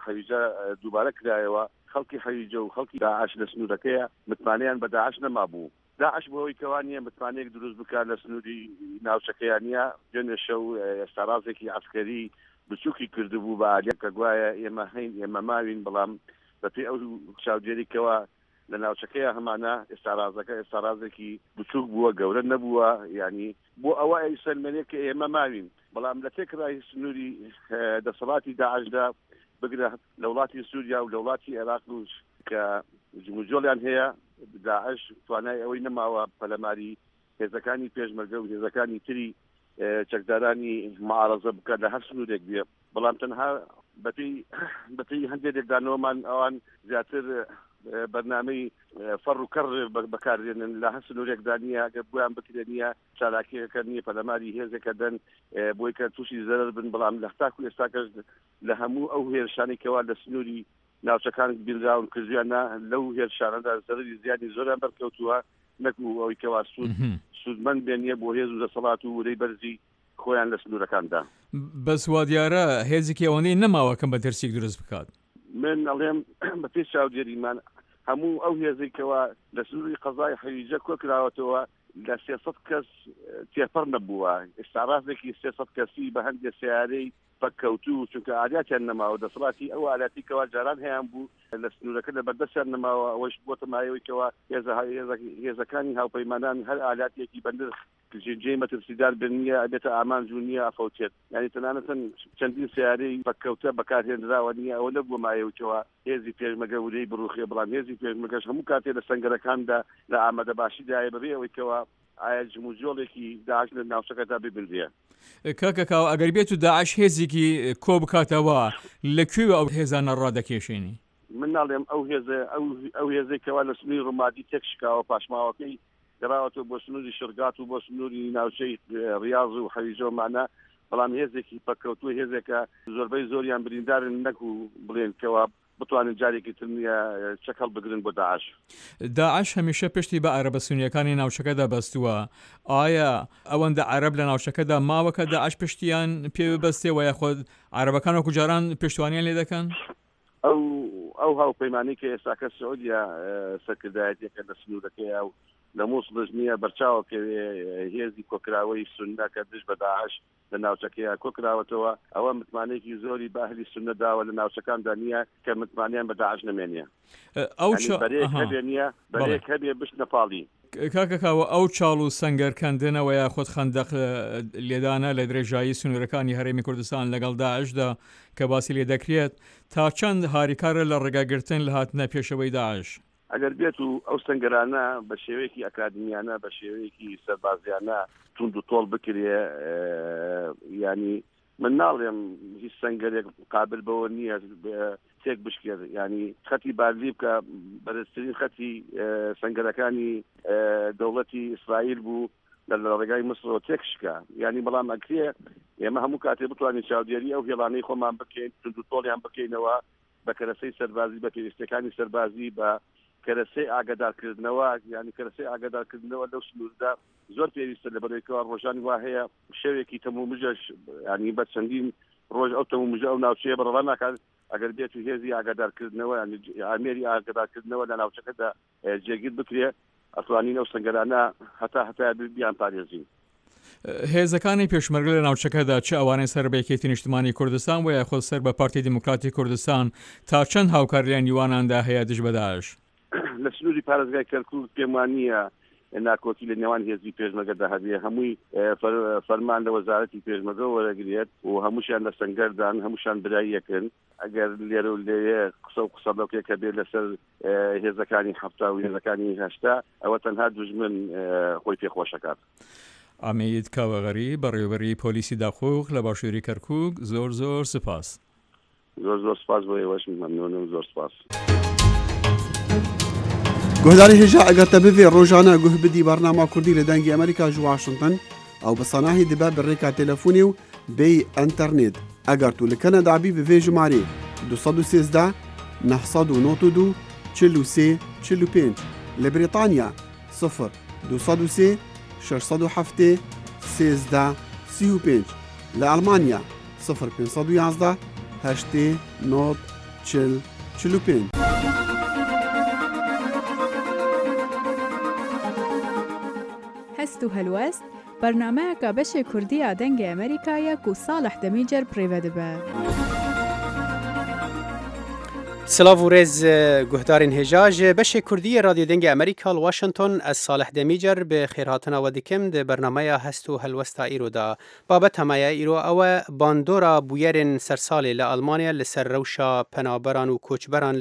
حەویجە دووبارە کرایەوە خەڵکی حەویجە و خەڵکی داعش لە سنوورەکەیە متمانەیان بە داعش نەمابوو. داعش بۆ ئەوەی کەوا نییە متمانەیەک دروست بکات لە سنووری ناوچەکەیا نییە، دوێنێ شەو ئێستاڕازێکی عەسکەری بچووکی کردبوو بە ئالیان کە گوایە ئێمە هەین ئێمە ماوین، بەڵام بەپێی ئەو چاودێری کەوا لە ناوچەکەیە هەمانە ئێستارازەکە ئێستارازێکی بچووک بووە، گەورە نەبووە، یعنی بۆ ئەوە ئەیسەلمێنێ کە ئێمە ماوین. بەڵام لە تێکڕای سنووری دەسەڵاتی داعشدا بگرە لە وڵاتی سووریا و لە وڵاتی عێراق کە جموجۆڵیان هەیە، داعش توانای ئەوەی نەماوە پەلەماری هێزەکانی پێشمەرگە و هێزەکانی تری چەکدارانی معارەزە بکات لە هەر سنوورێک بێ. بەڵام تەنها بەپێی بەپێی هەندێک لێکدانەوەمان ئەوان زیاتر بەرنامەی فەڕ و کەڕ بەکاردێنن لە هەر سنوورێکدا نییە، ئەگەر بۆیان بکرێ نییە، چالاکیەکە نییە، پەلەماری هێزێکە دەن بۆی کە تووشی زەرەر بن. بەڵام لە تاکو ئێستاکەش لە هەموو ئەو هێرشانەی کەوا لە سنووری ناوچەکان بینراون کردویانە، لەو هێرشانەدا زەرەری زیانی زۆریان بەرکەوتووە، نەکو ئەوەی کەوا سوود سوودمەند بێن نییە بۆ هێز و دەسەڵات و ورەی بەرزی خۆیان لە سنوورەکاندا. بەس وا دیارە هێزێکی ئەوەندەی نەماوە کە مەترسییەک دروست بکات. من ئەڵێم بە پێی چاودێریمان هەموو ئەو هێزێک کەوا لە سنووری قەزای حەویجە کۆکراوەتەوە لە سێ سەد کەس تێپەڕ نەبووە. ئێستا ڕاستێکی سێ سەد کەسی بە هەندێک سیارەی پەککەوتوو، چونکە ئالیاتیان نەماوە، دەسەڵاتی ئەو ئالاتی کەوا جاران هەیان بوو لە سنوورەکە لە بەردەستیان نەماوە. ئەوەش بۆتە مایەوەی کەوا هێزەکانی هاوپەیمانان هەر ئالاتێکی بە نرخ جێی مەترسیدار بن نییە، ئەبێتە ئامانج و نییە ئەفەوتێت. یعنی تەنانەتەن چەندین سیارەی پەککەوتە بەکارهێنراوە نییە، ئەوە نەبووە مایەوەی کەوا هێزی پێشمەرگە ورەی بڕوخێ. بەڵام هێزی پێشمەرگەش هەموو کاتێ لە سەنگەرەکاندا لە ئامادەباشیدایە بەبێ ئەوەی کەوا ئایا جموجۆڵێکی داعش لە ناوچەکەدا ببینرێ. کاکە کاوە، ئەگەر بێت و داعش هێزێکی کۆ بکاتەوە لە کوێوە ئەو هێزانە ڕادەکێشێنی؟ من ناڵێم ئەو هێزە ئەو هێزێک کەوا لە سنووری ڕومادی تێک شکاوە، پاشماوەکەی گەڕاوەتەوە بۆ سنووری شرگات و بۆ سنووری ناوچەی ڕیاض و حەویجەمانە، بەڵام هێزێکی پەککەوتووە، هێزێکە زۆربەی زۆریان بریندارن، نەکو بڵێن کەوا بتوانن جارێکی تر نییە چەک هەڵبگرن بۆ داعش. داعش هەمیشە پشتی بە عەرەبە سونیەکانی ناوچەکەدا بەستووە. ئایا ئەوەندە عەرەب لە ناوچەکەدا ماوە کە داعش پشتیان پێ ببەستێ و یاخود عەرەبەکان وەکو جاران پشتوانیان لێ دەکەن؟ ئەو ئەو هاوپەیمانی کە ئێستاکە سعودیا سەرکردایەتیەکە لە سنوورەکەیە و لە مووسڵش نییە، بەرچاوە کەوێ هێزی کۆکراوەی سوننە کە دژ بە داعش لە ناوچەکەیە کۆکراوەتەوە، ئەوە متمانەیەکی زۆری بە ئەهلی سوننە داوە لە ناوچەکاندا نییە کە متمانیان بە داعش نەمێنێ. ئەو بەرەیەک هەبێ نییە، بەرەیەک هەبێ بشتنە پاڵی. کاکە کاوە، ئەو چاڵ و سەنگەرکەندنەوە یاخود خەندەق لێدانە لە درێژایی سنوورەکانی هەرێمی کوردستان لەگەڵ داعشدا کە باسی لێ دەکرێت، تا چەند هاریکارە لە ڕێگاگرتن لە هاتنە پێشەوەی داعش؟ ئەگەر بێت و ئەو سەنگەرانە بە شێوەیەکی ئەکادمیانە، بە شێوەیەکی سەربازیانە توند و تۆڵ بکرێ، ینی من ناڵێم هیچ سەنگەرێک قابل بەوە نییە تێک بشکێت، ینی خەتی بارلی بکە بەرزترین خەتی سەنگەرەکانی دەوڵەتی ئیسرائیل بوو لە ڕێگای مسرەوە تێک شکا. ینی بەڵام ئەکرێ ئێمە هەموو کاتێ بتوانین چاودێری ئەو هێڵانەی خۆمان بکەین، توند و تۆڵیان بکەینەوە بە کەرەسەی سەربازی، بە پێویستەکانی سەربازی، بە کەرەسەی ئاگادارکردنەوە. ینی کەرەسەی ئاگادارکردنەوە لەو سنووردا زۆر پێویستە، لە بەرەوەیکەوە ڕۆژانی وا هەیە شەوێکی تەمومژەش، ینی بە چەندین ڕۆژ ئەو تەمومژە ئەو ناوچەیە بەڕەڵا ناکات. ئەگەر بێت و هێزی ئاگادارکردنەوە، ئامێری ئاگادارکردنەوە لە ناوچەکەدا جێگیر بکرێ، ئەتوانین ئەو سەنگەرانە هەتا هەتا بیان پارێزین. هێزەکانی پێشمەرگە لە ناوچەکەدا، چ ئەوانەی سەر بە یەکێتی نیشتمانی کوردستان و یاخود سەر بە پارتی دیموکراتی کوردستان، تا چەند هاوکاریان نیواناندا هەیە دژ بە داعش؟ لە سنووری پارێزگای کەرکوک پێم وان نییە ناکۆکی لە نێوان هێزی پێشمەرگەدا هەبێ. هەمووی فەرمان لە وەزارەتی پێشمەرگە وەرەگرێت و هەمووشیان لە سەنگەردان، هەمووشیان براییەکن. ئەگەر لێرە و لێوێ قسە و قسە لەوکێکە بێ لەسەر هێزەکانی حەفتا و هێزەکانی هەشتا، ئەوە تەنها دوژمن خۆی پێخۆشەکات. عەمید کاوە غەریب، بەڕێوەبەری پۆلیسی داقوق لە باشووری کەرکوک، زۆر زۆر سپاس. زۆر زۆر سپاس بۆ ئێوەش، مەمنونم، زۆر سپاس. گۆهداری هێژا، ئەگەر تە بڤێ ڕۆژانە گوه بدی بەرنامە کوردی لە دەنگی ئەمریکا ji واشنگتن، ئەو بە سەناهی دبە bi rêka تەلەفۆنê و bêyî înternêt. ئەگەر تو li Kanada bî bi vê jimarê du sed û sêzdeh neh sed û nod û du çil û sê çil û pênc, li Brîtanya sifir du sed û sê şeş sed û heftê sêzdeh sî û pênc, li Almanya sifir pênc sed û yazdeh heştê nod çil çil û pênc. هەست و هەلوەست بەرنامەیەکە بەشێ کوردیە دەنگێ ئەمریکایە و ساڵح دەمیجەر پرێوە دەبە. سلاv و rêz guhdarên hêja ji beşê Kurdiyê Radyo Dengê Amerîka li Washington ez Salih Demîcer bi xêrhatina we dikim di bernameya hest û helwesta îro da. Babeta me ya îro ew e bandora bûyerên sersalê li Almanya li ser rewşa penaberan û koçberan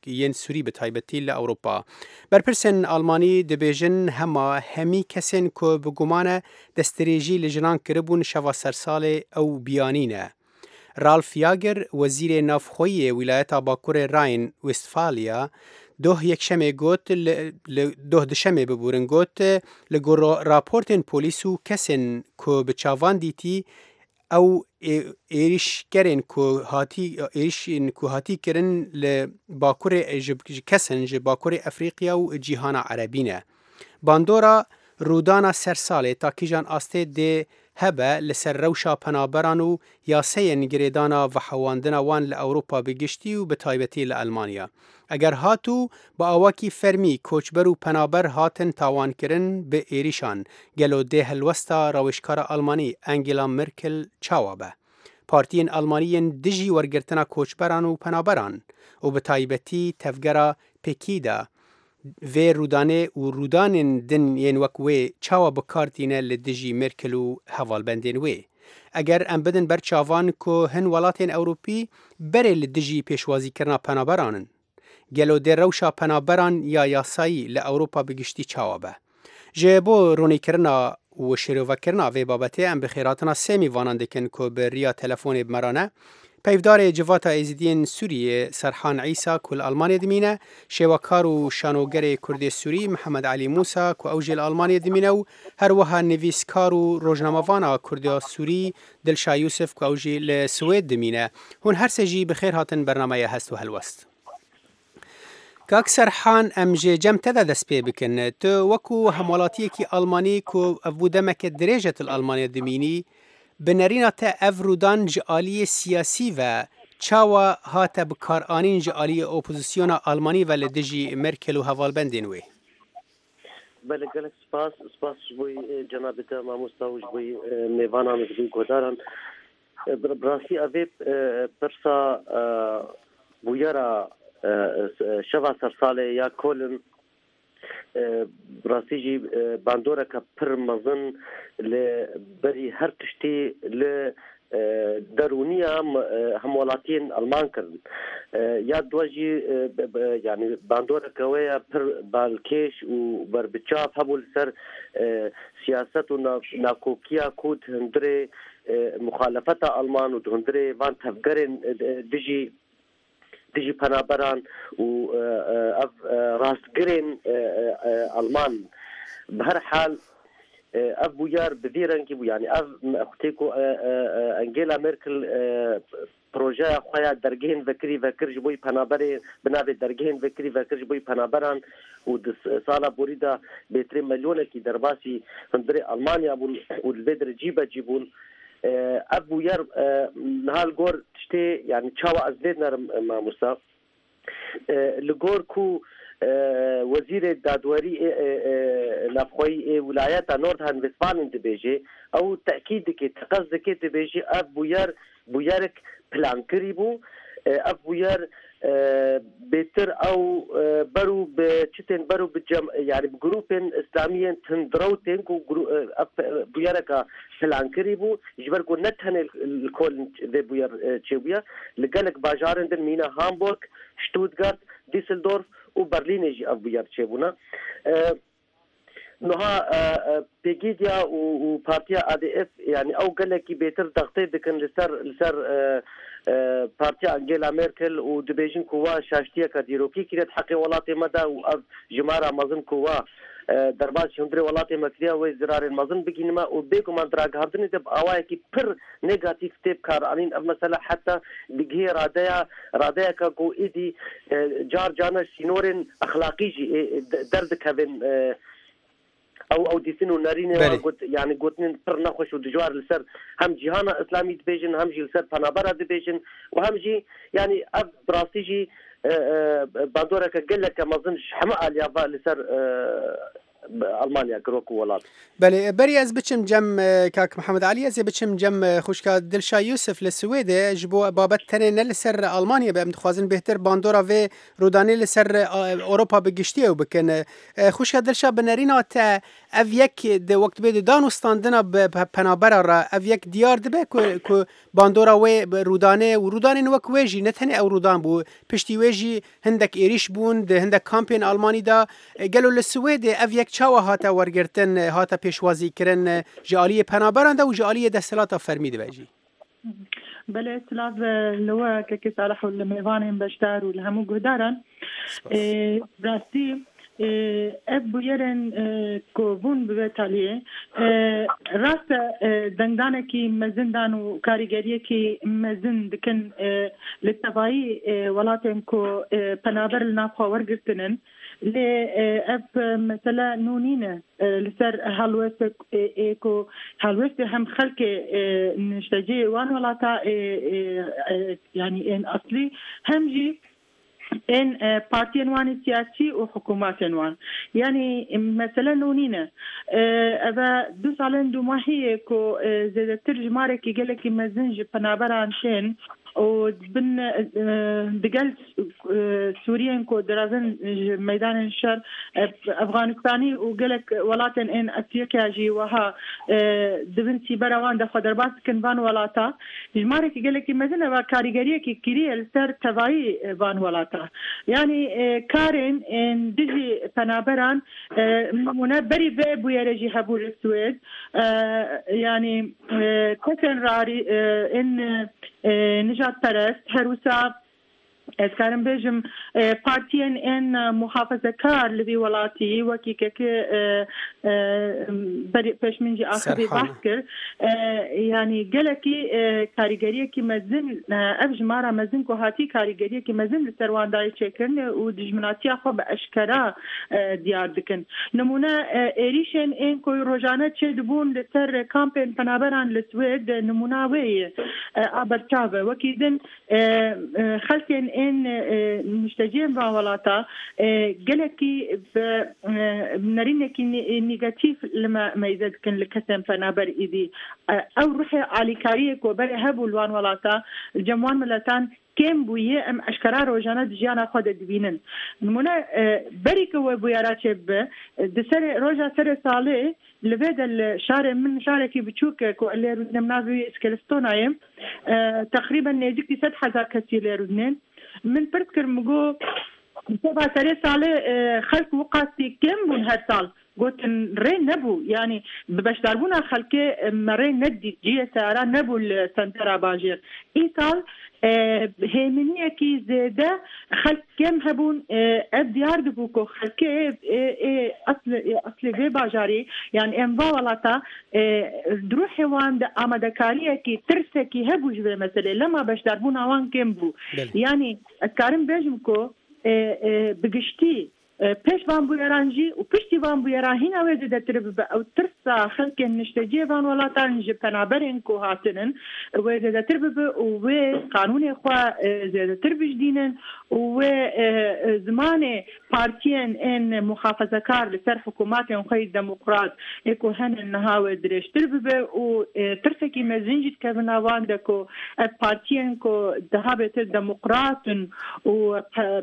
yên Sûrî bi taybetî li Ewropa. Berpirsên Almanî dibêjin hema hemî kesên ku bi guman e destdirêjî li jinan kiribûn şeva sersalê ew biyanî ne. Ralf Yager wezîrê navxweyê wîlayeta Bakurê Rhein Westfalia doh yekşemê got doh duşemê bibûrin got li gor raportên polîs û kesên ku bi çavan dîtî ew êrişkerên ku hatî êrişên ku hatî kirin li Bakurê ji kesên ji Bakurê Efrîqiya û cîhana Erebî ne. Bandora rûdana sersalê ta kîjan astê dê hebe li ser rewşa penaberan û yaseyên girêdana vehewandina wan li Ewropa bi giştî û bi taybetî li Elmanya. Eger hat û bi awakî fermî koçber û penaber hatin tawankirin bi êrişan, gelo dê helwesta rawêjkara Almanî Angela Merkel çawa be? Partiyên Almanî yên dijî wergirtina koçberan û penaberan û bi taybetî tevgera Pekîda vê rûdanê û rûdanên din yên wek wê çawa bi kar tîne li dijî Merkel û hevalbendên wê. Eger em bidin ber çavan ku hin welatên Ewropî berê li dijî pêşwazîkirina penaberan in. Gelo dê rewşa penaberan ya yasayî li Ewropa bi giştî çawa be? Ji bo ronîkirina û şêrovekirina vê babetê em bi xêratina sê mîvanan dikin ku bi riya telefonê bi me re ne. Peyvdarê Civata Êzidiyên Sûriyê Serhan Îsa ku li Almanyayê dimîne, şêwekar û şanogerê Kurdê Sûrî Mihemed Elî Mûsa ku ew jî li Almanyayê dimîne û her wiha nivîskar û rojnamevana Kurdiya Sûrî Dilşa Yûsif ku ew jî li Swêd dimîne. Hûn her sê jî bi xêr hatin bernameya hest û helwest. Kak Serhan em ji cem te de dest pê bikin. Tu wekû hemwelatiyekî Almanî ku ev bû demeke dirêj e tu li Almanya dimînî, bi nerîna te ev rûdan ji aliyê siyasî ve çawa hate bikaranîn ji aliyê opozisyona Almanî ve li dijî Merkel û hevalbendên wê? Belê gelek spas, spas ji bo cenabê te mamosta û ji bo mêvanan û ji bo guhdaran. Bi rastî ev ê pirsa bûyera şeva sersalê ya Koln rastî jî bandoreke pir mezin li berî her tiştî li derûniya hemwelatiyên Alman kirin. Ya dua jî yani bandoreke wê ya pir balkêş û berbiçav hebû li ser siyaset û nakokiya ku di hundirê muxalefeta Alman û di hundirê van tevgerên dijî dijî penaberan û ev rastgirên Alman. Bi her hal ev bûyer bi vî rengî bû yani ev xutê ku Angela Merkel projeya xwe ya dergehên vekirî vekir ji bo penaberê bi navê dergehên vekirî vekir ji bo penaberan û di sala borî de bêtirê milyonekî derbasî hundirê Almanya bûn û li vê derê cî be cî bûn. Ev bûyer niha li gor tiştê yani çawa ez lê dinerim mamosta li gor ku wezîrê dadwerî navxweyî ê wilayeta Nordrhein-Westfalen dibêje ew tekîd dike teqez dike dibêje ev bûyer bûyerek plankirî bû ev bûyer bêtir ew berû bi çitên berû bi cem yani bi grûpên İslamiyên tundrew tên ku ev bûyereka plankirî bû ji ber ku ne tenê li Koln vê bûyer çêbûye li gelek bajarên din mîna Hamburg, Stuttgart, Düsseldorf û Berlînê jî ev bûyer çêbûne. Niha Pegîdya û Partiya A D F yani ew gelekî bêtir dextê dikin li ser li ser Partiya Angela Merkel û dibêjin ku wa şaştiyeke dîrokî kiriye di heqê welatê me de û ev jimara mezin ku wa derbasî hundirê welatê me kiriye wê zirarên mezin bigihîne me û bêguman di ragihandinê de bi awayekî pir negatîf tê bikaranîn ev mesela heta digihê radeya radeyeke ku êdî car carna sînorên exlaqî jî derdikevin ew ew dîtin û nerînê got yani gotinên pir nexweş û dijwar li ser hem cîhana İslamî dibêjin hem jî li ser penabera dibêjin û hem jî yani ev bi rastî jî bandoreke geleke mezin ji hemû aliya ve li ser ئەڵمانیا کرد وەکو وڵات. بەلێ بەری ئەز بچم جەم کاک محەممەد عەلی ئەزێ بچم جەم خوشکا دلشا یوسف لە سوێدێ ji bo babet tenê ne li ser Almanya be em dixwazin bêhtir bandora vê rûdanê li ser Ewropa bi giştî ew bikin. Xuşka Dilşa bi nerîna te ev yek di wek dibê di dan û standina bi penabera re ev yek diyar dibe ku ku bandora wê bi rûdanê û rûdanên wek wê jî ne tenê ew rûdan bû piştî wê jî hindek êrîş bûn di hindek kampên Almanî da gelo li Swêdê ev yek çawa hate wergirtin hate pêşwazîkirin ji aliyê penaberan de û ji aliyê desthilata fermî dibe jî. بەلێ سلاڤ لەوە کەکێ ساڵح و لە مێوانên بەشدار و لە هەموو گوهداران ڕاستی ev bûyerên ku bûn bi vê taliyê rast e dengdanekî mezin dan û karîgeriyekî mezin dikin li tevayî welatên ku penaber li nav xwe wergirtinin lê ev mesele nû nîne li ser helwestek ê ku helwestê hem xelkê nişteciyê wan welata yanî ên eslî hem jî ên partiyên wan siyasî û hikûmetên wan yanî mesele nû nîne ev du salên dûmahiyê ku zêdetir jimarekî gelekî mezin ji penaberan tên û bin digel Sûriyên ku direvin ji meydanên şer Efxanistanî û gelek welatên ên Efrîqya jî wiha dibin sîbera wan de xwe derbas dikin van welata jimarekî gelekî mezin ev karîgeriyekî kiriye li ser tevayî van welata yanî karên ên dijî penaberan nimûne berî vê bûyerê jî hebû li Swêd yanî kesên rarî ên nijadperest her wisa ez karim bêjim partiyên ên muhafazakar li vî welatî wekî kekê pêş min jî axivî behs kir yanî gelekî karîgeriyekî mezin ev jimara mezin ku hatî karîgeriyekî mezin li ser wan dayê çêkirinê û dijminatiya xwe bi eşkera diyar dikin. Nimûne êrîşên ên ku rojane çêdibûn li ser kampên penaberan li Swêd nimûna wê ye a berçav e. Wekî din xelkên ên nişteciyên van welata gelekî bi nerînekî negatîf li me meyze dikin li kesên penaber îdî ew ruhê alîkariyê ku berê hebû li wan welata li cem wan miletan kêm bûye em eşkera rojane di jiyana xwe de dibînin. Nimûne berî ku wê bûyera çêbibe di serê roja serê salê li vê de li şarê min şarekî biçûk e ku lê rûdinem navê wî Eskilstonayê teqrîben nêzîkî sed hezar kesî lê rûdinên. Min pirs kir min got seba serê salê xelk wiqasî kêm bûn her sal gotin rê nebû yanî bi beşdarbûna xelkê me rê nedît ciyê seyara nebû li sentera bajêr. Îsal hêminiyekî zêde xelk kêm hebûn ev diyar dibû ku xelkê eslê vê bajarî yani em va welata di ruhê wan de amadekariyekî tirsekî hebû ji vê meselê lema beşdarbûna wan kêm bû. Yanî ez karim bêjim ku bi giştî pêş van bûyeran jî û piştî van bûyeran hîna wê zêdetir bibe ew tirsa xelkên nişteciyê van welatan ji penaberên ku hatinin wê zêdetir bibe û wê qanûnê xwe zêdetir bijdînin û wê zimanê partiyên ên muhafazakar li ser hikûmetên xwe yê demokrat ê ku henin niha wê dirêjtir bibe û tirsekî mezin jî dikevin nav wan de ku ev partiyên ku daha bêtir demokrat in û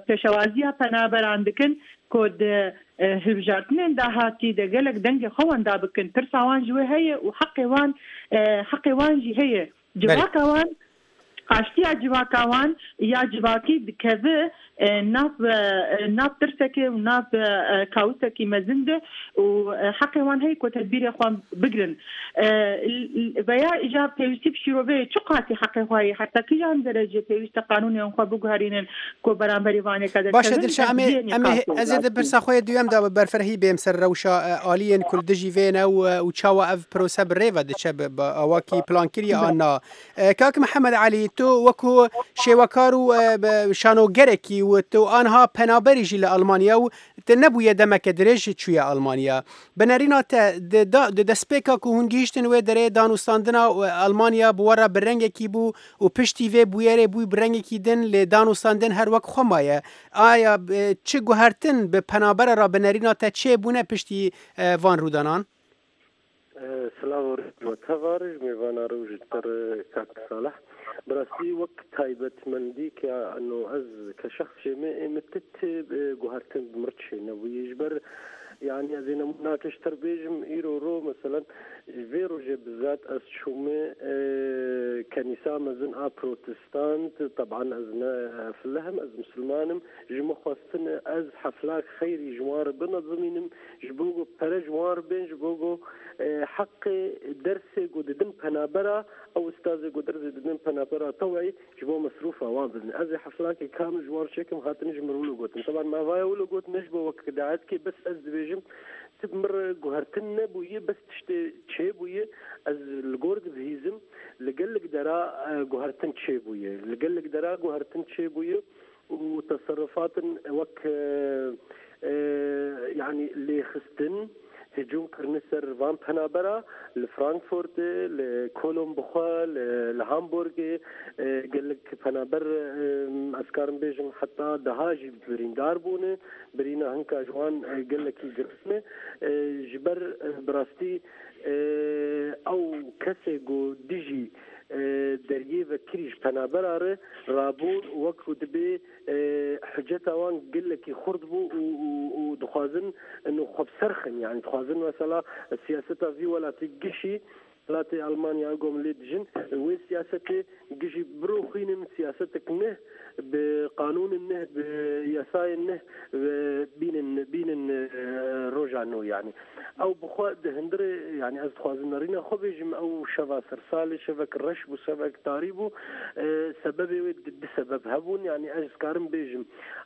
pêşewaziya penaberan dikin ku di hilbijartinên dahatî de gelek dengê xwe wenda bikin tirsa wan ji wê heye û heqê wan heqê wan jî heye civaka wan aştiya civaka wan ya civakî dikeve nav nav tirsekê û nav kaosekî mezin de û heqê wan heye ku tedbîrê xwe bigirin. Veya îca pêwîstî bi şîroveyê çi qasî heqê xwe heye heta kîjan derece pêwîst e qanûnên xwe biguherînin ku beramberî van yeka derkevin. Baş e Dilşa em ê em ê ez ê di pirsa xwe yê duyem de bi berfirehî bêm ser rewşa aliyên ku li dijî vê ne û çawa ev prose bi rê ve diçe bi awakî plankiriye an na. Kak Mihemed Elî تو وەکو شێوەکار و شانۆگەرێکی و تو ئانها پەنابەریژی لە ئەڵمانیا و te nebûye demeke dirêj çûye Almanya. Bi nerîna te di destpêka ku hûn gihîştin wê derê danûstandina Almanya bi we re bi rengekî bû û piştî vê bûyerê bû bi rengekî din lê danûstandin her wek xwe maye. Aya çi guhertin bi penabere re bi nerîna te çêbûne piştî van rûdanan? سلاو و تەڤارش مێوانە ڕۆژ تر کاک ساڵح بەڕاستی وەک تایبەتمەندی کە ئەنۆ ئەز کە شخصێ me ئێمە تت guhertin بمر çênebûye ji ber yani ez ê nemûnake ji ter bêjim îro ro meselen ji vê rojê bizat ez çûme kenîsa mezin a protestant طبعا ez ne filehem ez misilmanim ji min xwestin ez heflak xeyrî ji wan re binezimînim ji bo ku pere ji wan re bên ji bo ku حقê dersê ku didin penabera ew ustazê ku dersê didin penabera tewî ji bo mesrûfa wan bidin ez ê heflakê kamil ji wan re çêkim hatin ji min wilo gotin طبعا me vaya wilo got ne ji bo wek daetkê bes ez dibêjim tib mir guhertin nebûye bes tiştê çêbûye ez li gor dibihîzim li gelek dera guhertin çêbûye li gelek dera guhertin çêbûye û teserrufatin wek yani lêxistin هجوم kirine ser van penabera li Frankfurtê li Kolon bixwe li Hamburgê gelek penaber ez karim bêjim heta deha jî birîndar bûne birîna hinka ji wan gelekî girtine ji ber bi rastî ew kesê ku dijî deriyê vekirî ji penabera re rabûn wek ku dibê hiceta wan gelekî xurt bû û dixwazin ino xwe bi ser xin yani dixwazin mesela siyaseta vî welatî gişî welatê Almanya gom lê dijin wê siyasetê gişî biroxînin siyasetek neh bi qanûnên neh bi yasayên neh bînin bînin roja nû yani ew bi xwe di hundirê yani ez dixwazim nerîna xwe bêjim ew şeva sersalê şevek reş bû şevek tarî bû sebebê wê di sebeb hebûn yani ez dikarim bêjim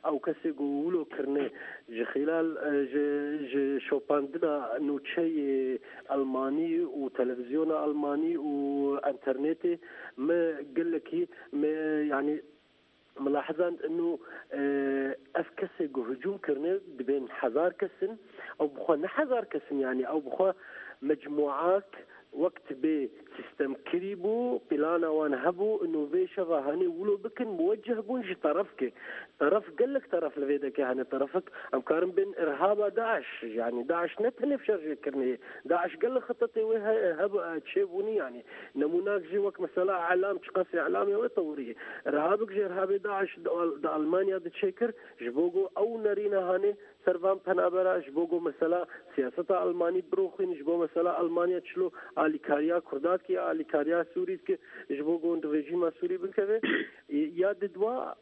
ew kesê ku wilo kirine ji xilal ji ji şopandina nûçeyê Almanî û televizyona Almanî û înternetê me gelekî me yani ملاحظان انه اف کەسێک هجوم کردنێ دبێن هەزار کەسن ئەو بخوا نه هەزار کەسن yani ئەو بخوا مجموعات وقت بێ سیستەم کری بوو پلانە وان هەبوو انه vê şeva hanê wilo bikin موجه بوون ji terefkê teref gelek teref li vê dekê hene terefek em karin bên irhaba Daeş yani Daeş ne tenê şerjê kirinê Daeş gelek xetetê wê hebû çêbûnî yani nemûnak jî wek mesela elam çi qasê elamê wê tewriyê irhabek ji irhabê Daeş di Almanya di çêkir ji bo ku ew nerîna hanê ser van penabera ji bo ku mesela siyaseta Almanî biroxîn ji bo mesela Almanya çilo alîkariya Kurda dike alîkariya Sûrî dike ji bo ku rejîma Sûrî bikeve ya didwa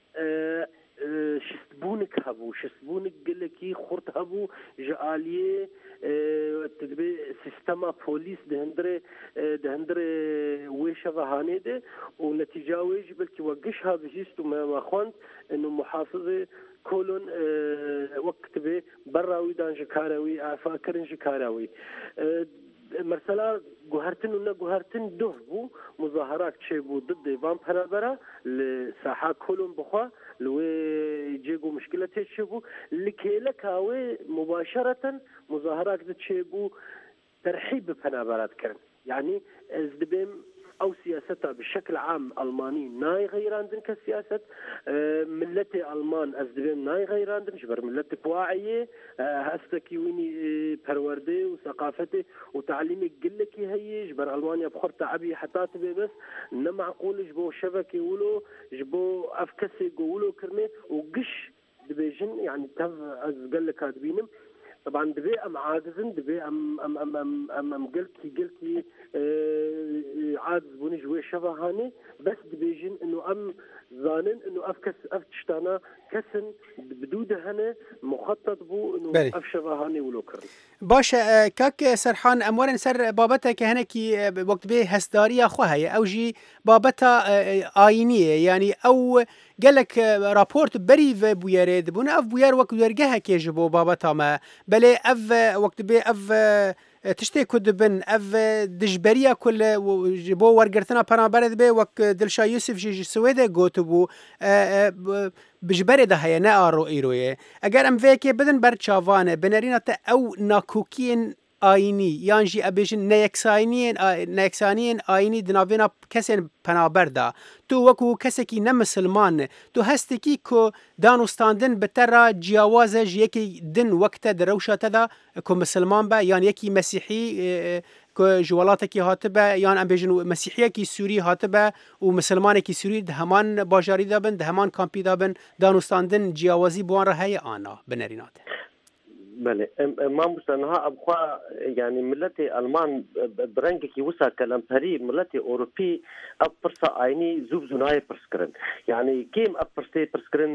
şistbûnek hebû şistbûnek gelekî xurt hebû ji aliyê dibê sîstema polîs di hundirê di hundirê wê şeva hanê de û netîca wê jî belkî we giş habihîst û me me xwend ino muhafizê Kolon wek dibê berra wî dan ji kara wî efa kirin ji kara wî mesela guhertin û neguhertin duh bû muzaharak çêbû didê van penabera li saha Kolon bixwe li wê cê ku muşkile tê çêbû li kêleka wê mubaşereten muzaharak di çêbû terhîb bi penabera dikirin yani ez dibêm ئەو سیاسەتە بشكل عام ئەڵمانی نایغەیراندن کە سیاست ملەتی ئەڵمان ئەس دەبێم نایغەیراندن ji ber ملەتێک واعیە هەستێکی وینی پەروەردەی و ثقافتê و تعلیمê gelekî heye ji ber Almanya bi xwe teebî heta tibê bes ne معقول ji bo şevekê wilo ji bo ev kesê ku wilo kirine û giş dibêjin yani tev ez geleka dibînim طبعا دبي ام عاجزن دبي ام ام ام ام ام, أم قلتي قلتي آه عاجز بوني جوي شبهاني بس دبيجن انه ام زانن انه اف كس اف تشتانا كسن بدوده هنا مخطط بو انه اف شبهاني ولو كرن باش کاک سەرحان ئەم وەرن سەر بابەتێکە هەنێکی وەک بێ هەستداریە خۆ هەیە ئەو ژی بابەتە ئاینیە یعنی ئەو gelek راپۆرت بەری vê bûyerê dibûn ev bûyer wek dergehekê ji bo babeta me belê ev wek dibê ev تشتێ ku dibin ev dijberiya ku ji bo wergirtina penaberê dibe wek Dilşa Yusuf jî ji Swêdê gotibû ji berê de heye ne a îroyê. Eger em vê yekê bidin ber çavanê binerîna te ew nakokiyên ayînî yan jî ebêjin neyeksaniyên neyeksaniyên ayînî di navbêna kesên penaber da. Tu wekû kesekî ne misilman tu hestekî ku danûstandin bi te re ciyawaz e ji yekê din wek te di rewşa te de ku misilman be yan yekî mesîhî ku ji welatekî hatibe yan em bêjin mesîhiyekî Sûrî hatibe û misilmanekî Sûrî di heman bajarî de bin di heman kampî de bin danûstandin ciyawazî bi wan re heye ana binerîna te. بله مامۆستا نها ئەبخوا یعنی ملەتی ئەلمان بە ڕەنگێکی وسا کەلەمپەری ملەتی ئەوروپی ئەو پرسە ئاینی زوو زوو نایە پرسکردن یعنی کێم ئەو پرسەی پرسکردن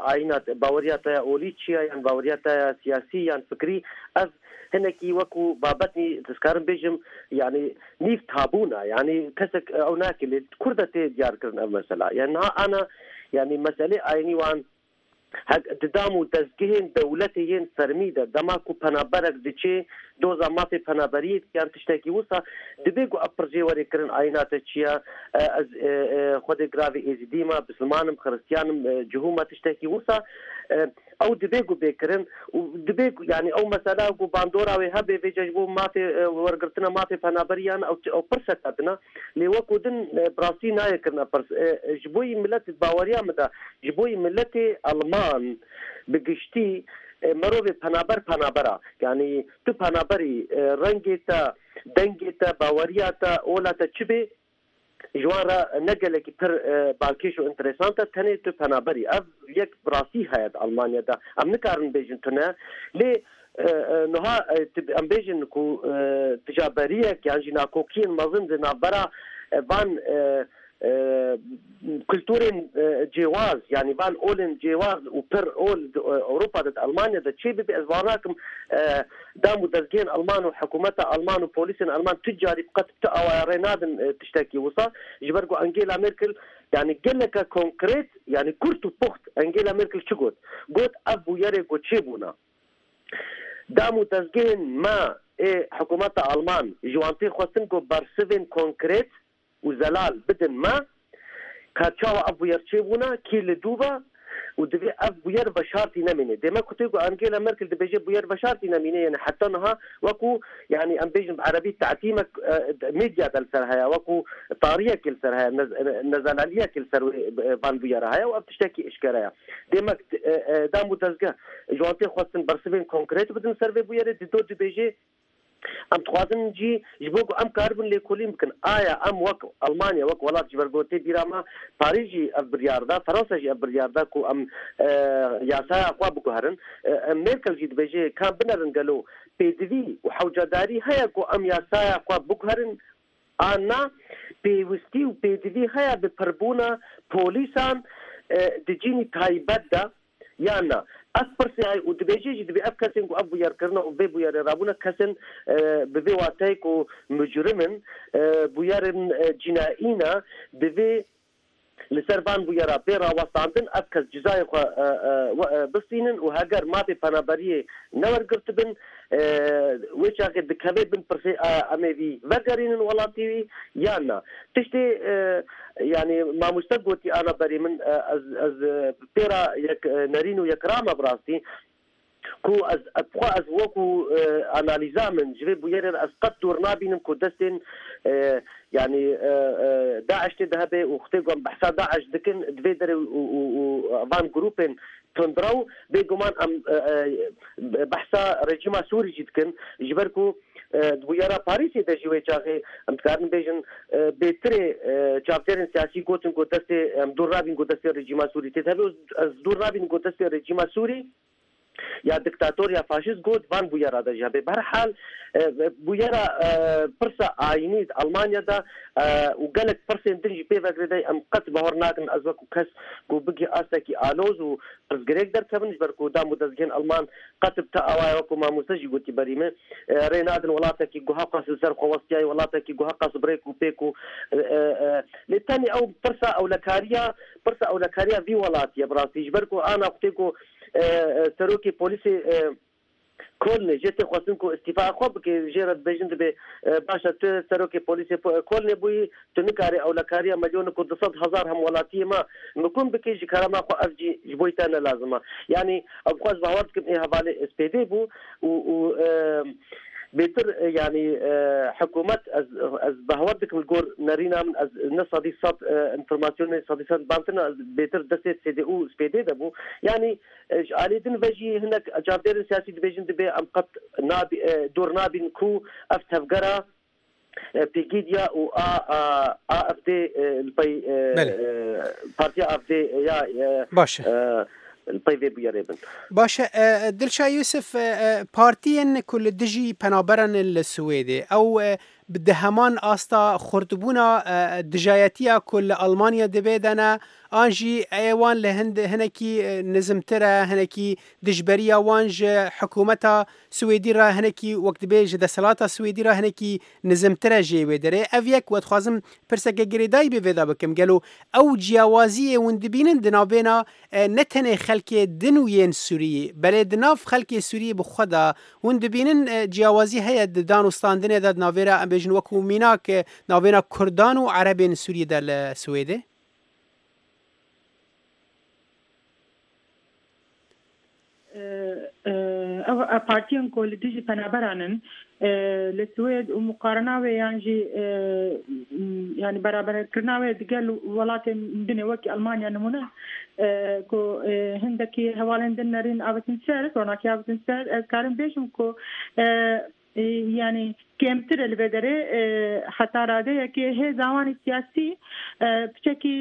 ئاینات باوەریاتە ئۆلی چییە یان باوەریاتە سیاسی یان فکری ئەف هەنێکی وەکو بابەتنی دەستکارم بێژم یعنی نیف تابوونە یعنی کەسێک ئەو ناکە لێ کوردە تێ دیارکردن ئەم مەسەلا یعنی نها ئانا یعنی مەسەلەی ئاینی وان ددام و دەستگهên dewletê yên fermî de dema ku penaberek diçê doza mafê penaberiyê yan tiştekî wisa dibe ku ev pircê were kirin ayîna te çi ye ez xwedê giravê êzidî me bisilmanim xiristiyanim cihû me tiştekî wisa ew dibe ku bê kirin û dibe ku yani ew mesela ku bandora wê hebe vê ji bo mafê wergirtina mafê penaberiyan ew ew pirsek dina lê wekû din bi rastî nayê kirina pirs ji bo millet baweriya min de ji bo milletê Alman bi giştî merovê penaber penabera yani tu penaberî rengê te dengê te baweriya te ola te çi bê ji wan re ne gelekî pir balkêş û interesant e tenê tu penaberî ev yek bi rastî heye di Almanya de em nikarin bêjin tune lê niha em bêjin ku ticaberiyek yan jî nakokiyên mezin di navbera van kulturên cêwaz yani van olên cêwaz û pir ol Ewropa de Almanya de çê bibe ez wan nakim dam û dezgehên Alman û hikûmeta Alman û polîsên Alman tu carî qet tu awaya rê nadin tiştekî wisa ji ber ku Angela Merkel yani geleka konkret yani kurt û poxt Angela Merkel çi got got ev bûyerê ku çêbûna dam û dezgehên me ê hikûmeta Alman ji wan tê xwestin ku bersivên konkret û zelal bidin me ka çawa ev bûyer çêbûna kî li dû û divê ev bûyer veşartî nemîne demek ku tê ku Angela Merkel dibêje bûyer veşartî nemîne yani heta niha wekû yani em bêjin bi erebî te'tîmek medya de li ser heye wekû tariyek li ser heye nezelaliyek li ser van bûyera heye û ev tiştekî eşkere ye demek dam û dezgeh ji wan tê xwestin bersivên konkret bidin ser vê bûyerê di do dibêje em dixwazin jî ji bo ku em karibin lêkolîn bikin aya em wek Almanya wek welat ji ber gotê bîra me Parîs jî ev biryar da Fransa jî ev biryar da ku em yasaya xwe biguherin Merkel jî dibêje ka binerin gelo pêdivî û hewcedarî heye ku em yasaya xwe biguherin an na pêwîstî û pêdivî heye bi pirbûna polîsan di cînî taybet de yan na ev pirsê heye û dibêje jî dibê ev kesên ku ev bûyerkirina û vê bûyerê rabûne kesên bi vê wateyê ku mucrim in bûyerên cînayî ne divê li ser van bûyera bê rawestandin ev kes cizayê xwe bistînin û heger mafê penaberiyê newergirtibin wê çaxê dikeve bin pirsê em ê vî vegerînin welatî wî yan na tiştê yani mamoste gotî ana berê min ez ez pêra yek nerîn û yek rame bi rastî ku ez xwe ez wekû analîza min ji vê bûyerê ez qet dûr nabînim ku destên yani Daeş tê de hebe û xwedê ku em behsa Daeş dikin di vê derê û van grûpên tundrew bêguman em behsa rejîma Sûrî jî dikin ji ber ku di bûyera Parîsê de jî wê çaxê em dikarin bêjin bêtirê çavdêrên siyasî gotin ku destê em dûr nabîn ku destê rejîma Sûrî tê hebe ez dûr nabînim ku destê rejîma Sûrî ya diktator ya faşist got van bûyera de jî hebe berhal bûyera pirsa ayînî di Almanya de û gelek pirsên din jî pê vegirêdayî em qet bawer nakin ez wekû kes ku bigî astekî aloz û pirsgirêk derkevin ji ber ku dam û dezgehên Alman qet bi te awayê wekû mamoste jî gotî berî me rê nadin welatekî guha qas li ser xwe westiyayî welatekî guha qas bi rêk û pêk û lê tenê ew pirsa ewlekariya pirsa ewlekariya vî welatiye bi rastî ji ber ku ana xwedê ku serokê polîsê کۆلنێ jê tê xwestin ku îstîfa xwe bike jê re dibêjin dibê baş e tu serokê polîsê Kolnê bûyî tu nikarî ewlekariya milyonek û du sed hezar hemwelatiyê me mikum bikî ji kerema xwe ev jî ji bo te ne lazim e yanî ew bi xwe ez bawer dikim ê hevalê S P D bû û û بێتر یعنی حکوومەت ez bawer dikim li gor nerîna min ez ne sedî sed înformasyonê sedî sed bantina bêtir destê C D U S P D de bû yanî ji aliyê din ve jî hinek çavdêrên siyasî dibêjin dibê em qet dûr nabîn ku ev tevgera Pegida û A F D li pey Partiya A F D ya باشه li pey vê bûyerê bin. Baş e Dilşa Yusuf partiyên ku li dijî penaberan li Swêdê ew bi di heman asta xurtbûna dijayetiya ku li Almanya dibe de ne an jî ê wan li hind hinekî nizmtir e hinekî dijberiya wan ji hikûmeta Swêdî re hinekî wek dibê ji desthilata Swêdî re hinekî nizmtir e jê wê derê ev yek we dixwazim pirseke girêdayî bê vê de bikim gelo ew ciyawaziyê hûn dibînin di navbêna ne tenê xelkê din û yên Sûriyê belê di nav xelkê Sûriyê bi xwe de hûn dibînin ciyawazî heye di dan û standinê de di navêra em bêjin wekû mînak navbêna Kurdan û Erebên Sûriyê de li Swêdê؟ Ew partiyên ku li dijî penaberan in li Swêd û muqarena wê yan jî yanî beraberkirina wê digel welatên din wekî Almanya nimûne ku hindekî hevalên din nerîn avêtin ser ronakî avêtin ser ez karim bêjim ku yanî kêmtir e li vê derê heta radeyekê hêza wan siyasî piçekî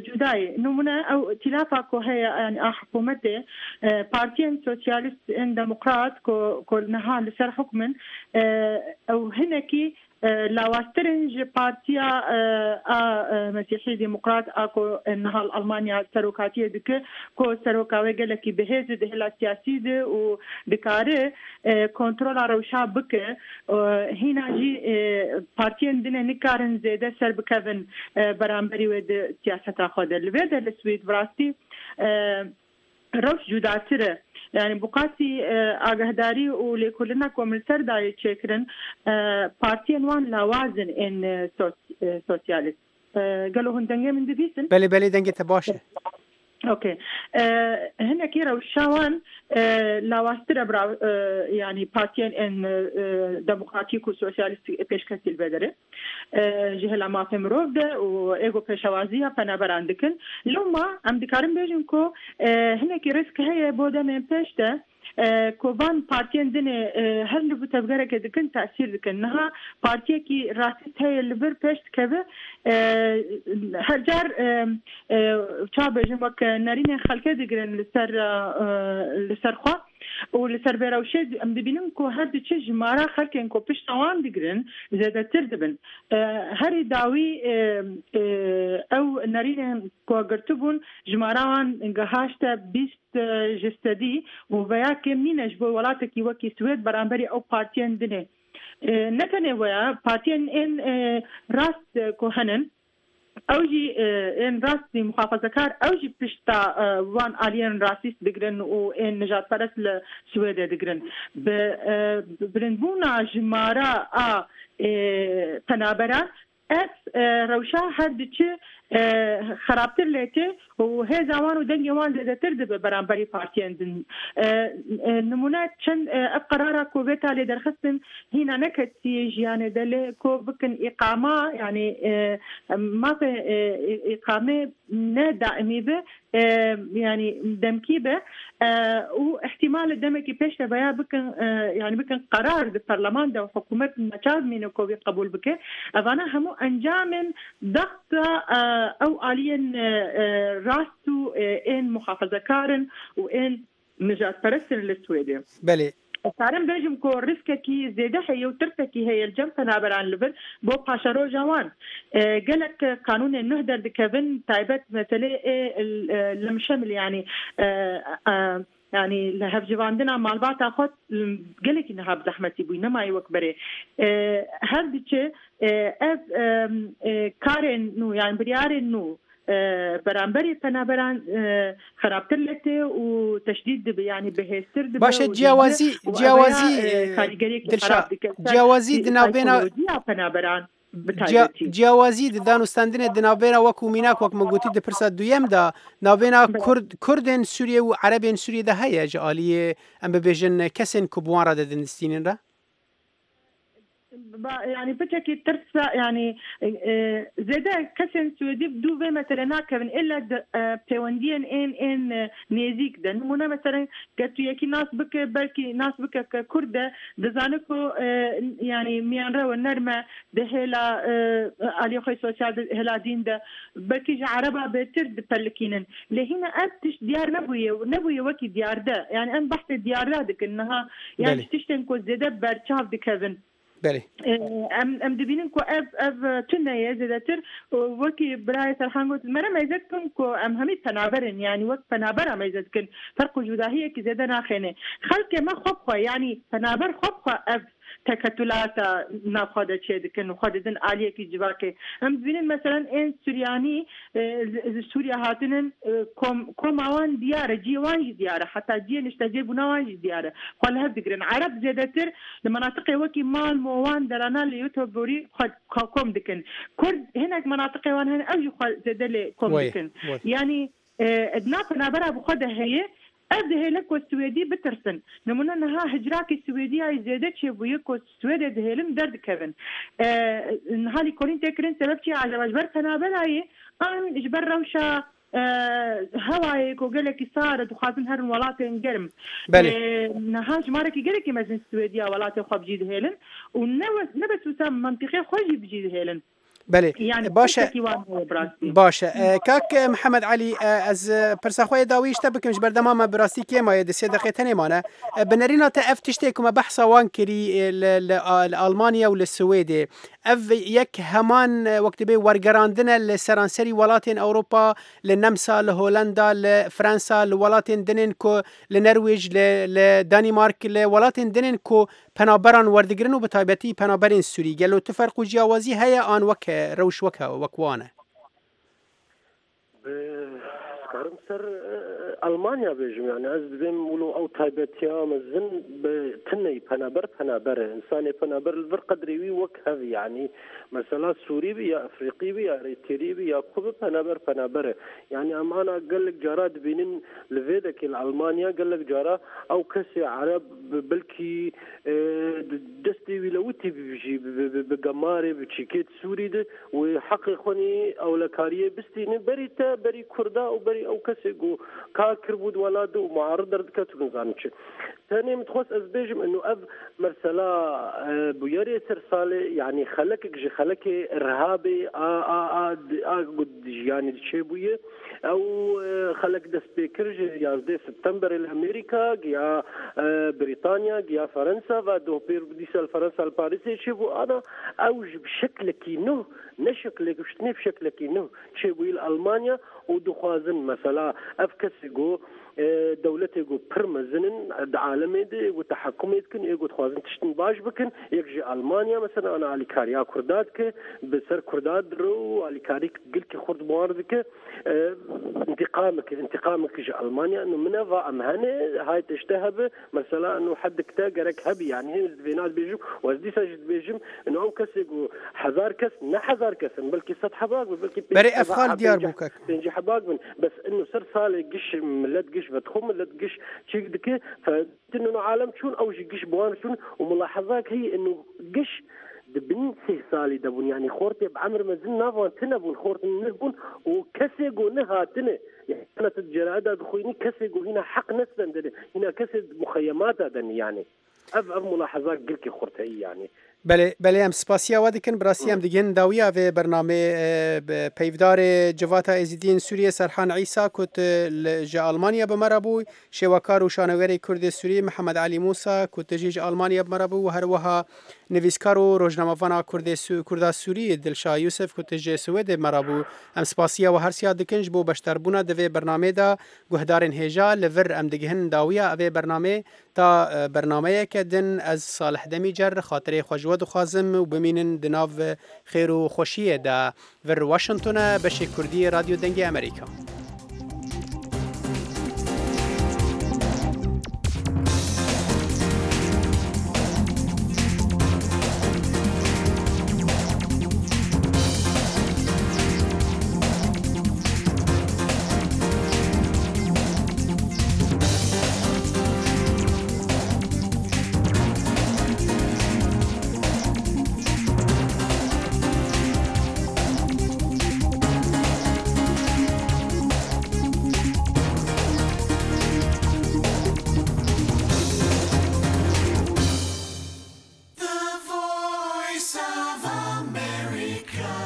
cudayê nimûne ew îtîlafa ku heye yanî a hikûmetê partiyên sosyalîst ên demokrat ku ku niha li ser hukm in ew hinekî lawaztirin ji partiya a Mesîhî Demokrat a ku niha li Almanya serokatiyê dike ku seroka wê gelekî bihêz di hêla siyasî de û dikare kontrola rewşa bike hîna jî partiyên din nikarin zêde ser bikevin beramberî wê di siyaseta xwe de li vê de li Swêd bi rastî rewş cudatir e yani bi qasî agahdarî û lêkolîna ku min li ser dayê çêkirin partiyên wan lawaz in ên sosyalîst gelo hûn dengê min dibîsin؟ Belê belê dengê te baş e. Okay hinekî rewşa wan lawaztir e yanî partiyên ên demokratîk û sosyalîst pêşketî li vê derê ji hêla mafê mirov de û êgo pêşewaziya penaberan dikin loma em dikarin bêjin ku hinekî rîsk heye bo demên pêş de ku van partiyên din her li tevgerekê dikin tesîr dikin niha partiyekî rasîst heye li vir pêş dikeve her car ça bêjim wek nerînên xelkê digirin li ser li ser xwe û li ser vê rewşê em dibînin ku her diçe jimara xelkên ku pişta wan digirin zêdetir dibin herî dawî ew nerînên ku girtibûn jimara wan gihaşte bîst ji sedî û veya kêm nîne ji bo welatekî wekî Swêd beramberî ew partiyên din ê ne tenê weye partiyên ên rast ku henin ew jî ên rastî muxafazakar ew jî pişta wan aliyên rasîst digirin û ên nijadperest li Swêdê digirin bi bilindbûna jimara a penaberan ev rewşa her diçe xerabtir lê tê û hêza wan û dengê wan zêdetir dibe beramberî partiyên din nimûne çend ev qerara ku vê talê derxistin hîna neketiye jiyanê de lê ku bikin îqama yanî mafê îqamê ne daîmî be yanî demkî be û îhtîmal demekî pêş de veya bikin yanî bikin qerar di perleman de û hikûmet neçar bimîne ku wî qebûl bike evana hemû encamên dexta ew aliyên rast û ên muxafazakarin û ên nijadperestin li Swêdê. Belê. Karim bêjim ku rîskekî zêde heye û tirsekî heye li cem penaberan li vir bo paşeroja wan. Gelek qanûnên nuh derdikevin taybet meselê ê li mişemil yanî yani li hevjivandina malbata xwe gelekî niha bi zehmetî bûyî nemayî wek berê her diçe ev karên nû yani biryarên nû بەرامبەری پەنابەران خراپتر لێتێ و تەشدید دەبێ یعنی بەهێزتر دەبێ باشە جیاوازی جیاوازی دلشا جیاوازی دناوبێنە پەنابەران جیاوازی دانوستاندنێ دناوبێنە وەکو میناک وەک من گوتی di pirsa duyem da navbêna Kurd Kurdên Sûriye û Erebên Sûriye de heye ji aliyê em bibêjin kesên ku bi wan re didin re؟ يعني بتشكي ترسا يعني زيادة كسن سويدي بدو في مثلا ناكبن إلا بيونديا إن إن نيزيك ده نمونا مثلا كتويكي ناس بك بلكي ناس بك ككردة دزانكو يعني ميان رو النرمة ده هلا علي سوسيال هلا دين ده بلكي عربة بتر بلكينن لهنا أبتش ديار نبوية نبوية وكي ديار ده يعني أم بحث ديار ده دك إنها يعني تشتن زيادة برشاف دكذن بله ام ام دبینن کو اف اف تنه زیاتر وکی برای سرحان گوت مرا ميزت کن کو ام همی پنابرن يعني وقت پنابر ميزت کن فرق جداهیه که زیاده ناخنه خلق ما خوب خو يعني پنابر خوب خو اف تكتلات ناخذ شيء دكن وخذ دن عالية كي جواكي هم دبینن مثلا ان سورياني سوريا هاتنن كوم كوم عوان ديارة جيوان ديارة حتى جي نشتاجي بنوان ديارة خل هف دقرن عرب زيادتر لمناطق وكي مال موان درانا اللي يوتوبوري خد كوم دكن كرد هناك مناطق وان هنا أوجي خل زيادة كوم دكن يعني ادنا بنابرها بخدها هي أبده لك والسويدي بترسن نمونا نها هجراك السويدية زيادة شيء بيك والسويدي دهلم درد كبن أه نهالي كولين تكرن سبب شيء على مجبر تنابلاي أن إجبر روشة أه هواي كوجلك صارت وخازن هرن ولاتين جرم بله نها جمارك جرك مزن السويدية ولاتين خب جيد هيلن ونبس نبس وسام منطقة خجي بجيد هيلن بله باشه باشه کاک محمد علی از پرسخوی داویش تا بکم جبر دمام براسی کی ما د سه دقیقه تنه مانه بنرينا تا اف تشتي كما بحث وان كري لالمانيا وللسويد اف يك همان وقت بي ورگراندن لسرانسري ولاتين اوروبا للنمسا لهولندا لفرنسا لولاتين دنين كو لنرويج لدنمارك لولاتين دنين كو پنابران وردگرن و بتایبەتی پنابرین سوری گلو تفرق و جیاوازی هەیە ئان وەک رەوش وەکە وەکوانە کارم سەر ئەڵمانیا بێژم یعنی ئەز دبێم ولو ئەو تایبەتیا مەزن بتنەی پەنابەر پەنابەرە ئینسانێ پەنابەر لەبەر قەدرێوی وەک هەv یعنی مەسەلا سووری بی یا ئەفریقی بی یا ئەریتری بی یا کو پەنابەر پەنابەرە یعنی ئەمانە گەلک جارا دبینن لە vێدەکێ لە ئەڵمانیا گەلک جارا ئەو کەسێ عەرەب بلکی دەستی وی لەوتی بژی بە گەمارێ بچیکێت سووری ده و حەقی خۆنی ئەولەکاریە بستینە بەری تە بەری کووردا و بەری ئەو کەسێک و کار کرد ولا دو معارض دەردکەت و نزانم چی ثاني متخص از بيجم انه اف مرسلا بويري سرسالي يعني خلك جي خلك ارهابي ا ا ا قد يعني شي بويه او خلك دس بيكر یازده سپتامبر الامريكا يا بريطانيا يا فرنسا و بير ديسال فرنسا الباريس شي بو انا او بشكل كي نو نشكل شتني بشكل كي نو شي بو المانيا ودخوازن مثلا اف كسجو دولتي جو برمزنن عالمي دي وتحكمي كن يقول خوازن تشتن باش بكن يجي المانيا مثلا انا علي كاريا كردات بسر كرداد رو علي كاريك قلت خرد بواردك انتقامك انتقامك جي المانيا انه من ام هني هاي تشتهب مثلا انه حد كتا جرك هبي يعني بينات بيجم وزدي سجد بيجم انه او كس هزار كس نه هزار كس بلكي ست حباك بلكي بري افخال ديار بوكك بنجي حباك بس انه صار صالح قش ملت قش بدخم ملت قش شيء دك فإنه عالم شون أو قش بوان شون وملاحظات هي إنه قش دبن سه سالي دبون يعني خورتي بعمر ما زلنا فان تنبون خورت نبون وكسي قلناها تنه يعني أنا تجرأة دخويني كسي هنا حق نسبا هنا كسي مخيمات هذا يعني أف أف ملاحظات قلك خورتي يعني بله بله ام سپاسیا ودکن براسی ام دیگن داویا و برنامه پیودار جواتا ازیدین سوریه سرحان عیسی کت جا آلمانیا بمربو شێوەکار و شانەوەری کوردی سووری محەممەد علی موسا کت ژیژ ئەلمانیا بمەرەبوو و هەروەها نویسکار و ڕۆژنامەڤانا کووردا سووری دلشا یوسف کت ژێ سوێدێ مەرەبوو ئەم سپاسیە و هەرسیا دکەنج بۆ بەشداربوونە دەوێ بەرنامەیدا گوهدارên هێژا لەڤر ئەم دگهن داویە ئەvê بەرنامەی تا Heta bernameyeke din ez Salih Demîcer xatirê xwe ji we dixwazim û bimînin di nav xêr û xweşiyê de. Vir Washington e, beşê Kurdî yê Radyo Dengê Amerîka. The voice of America.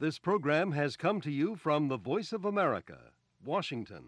This program has come to you from the Voice of America, Washington.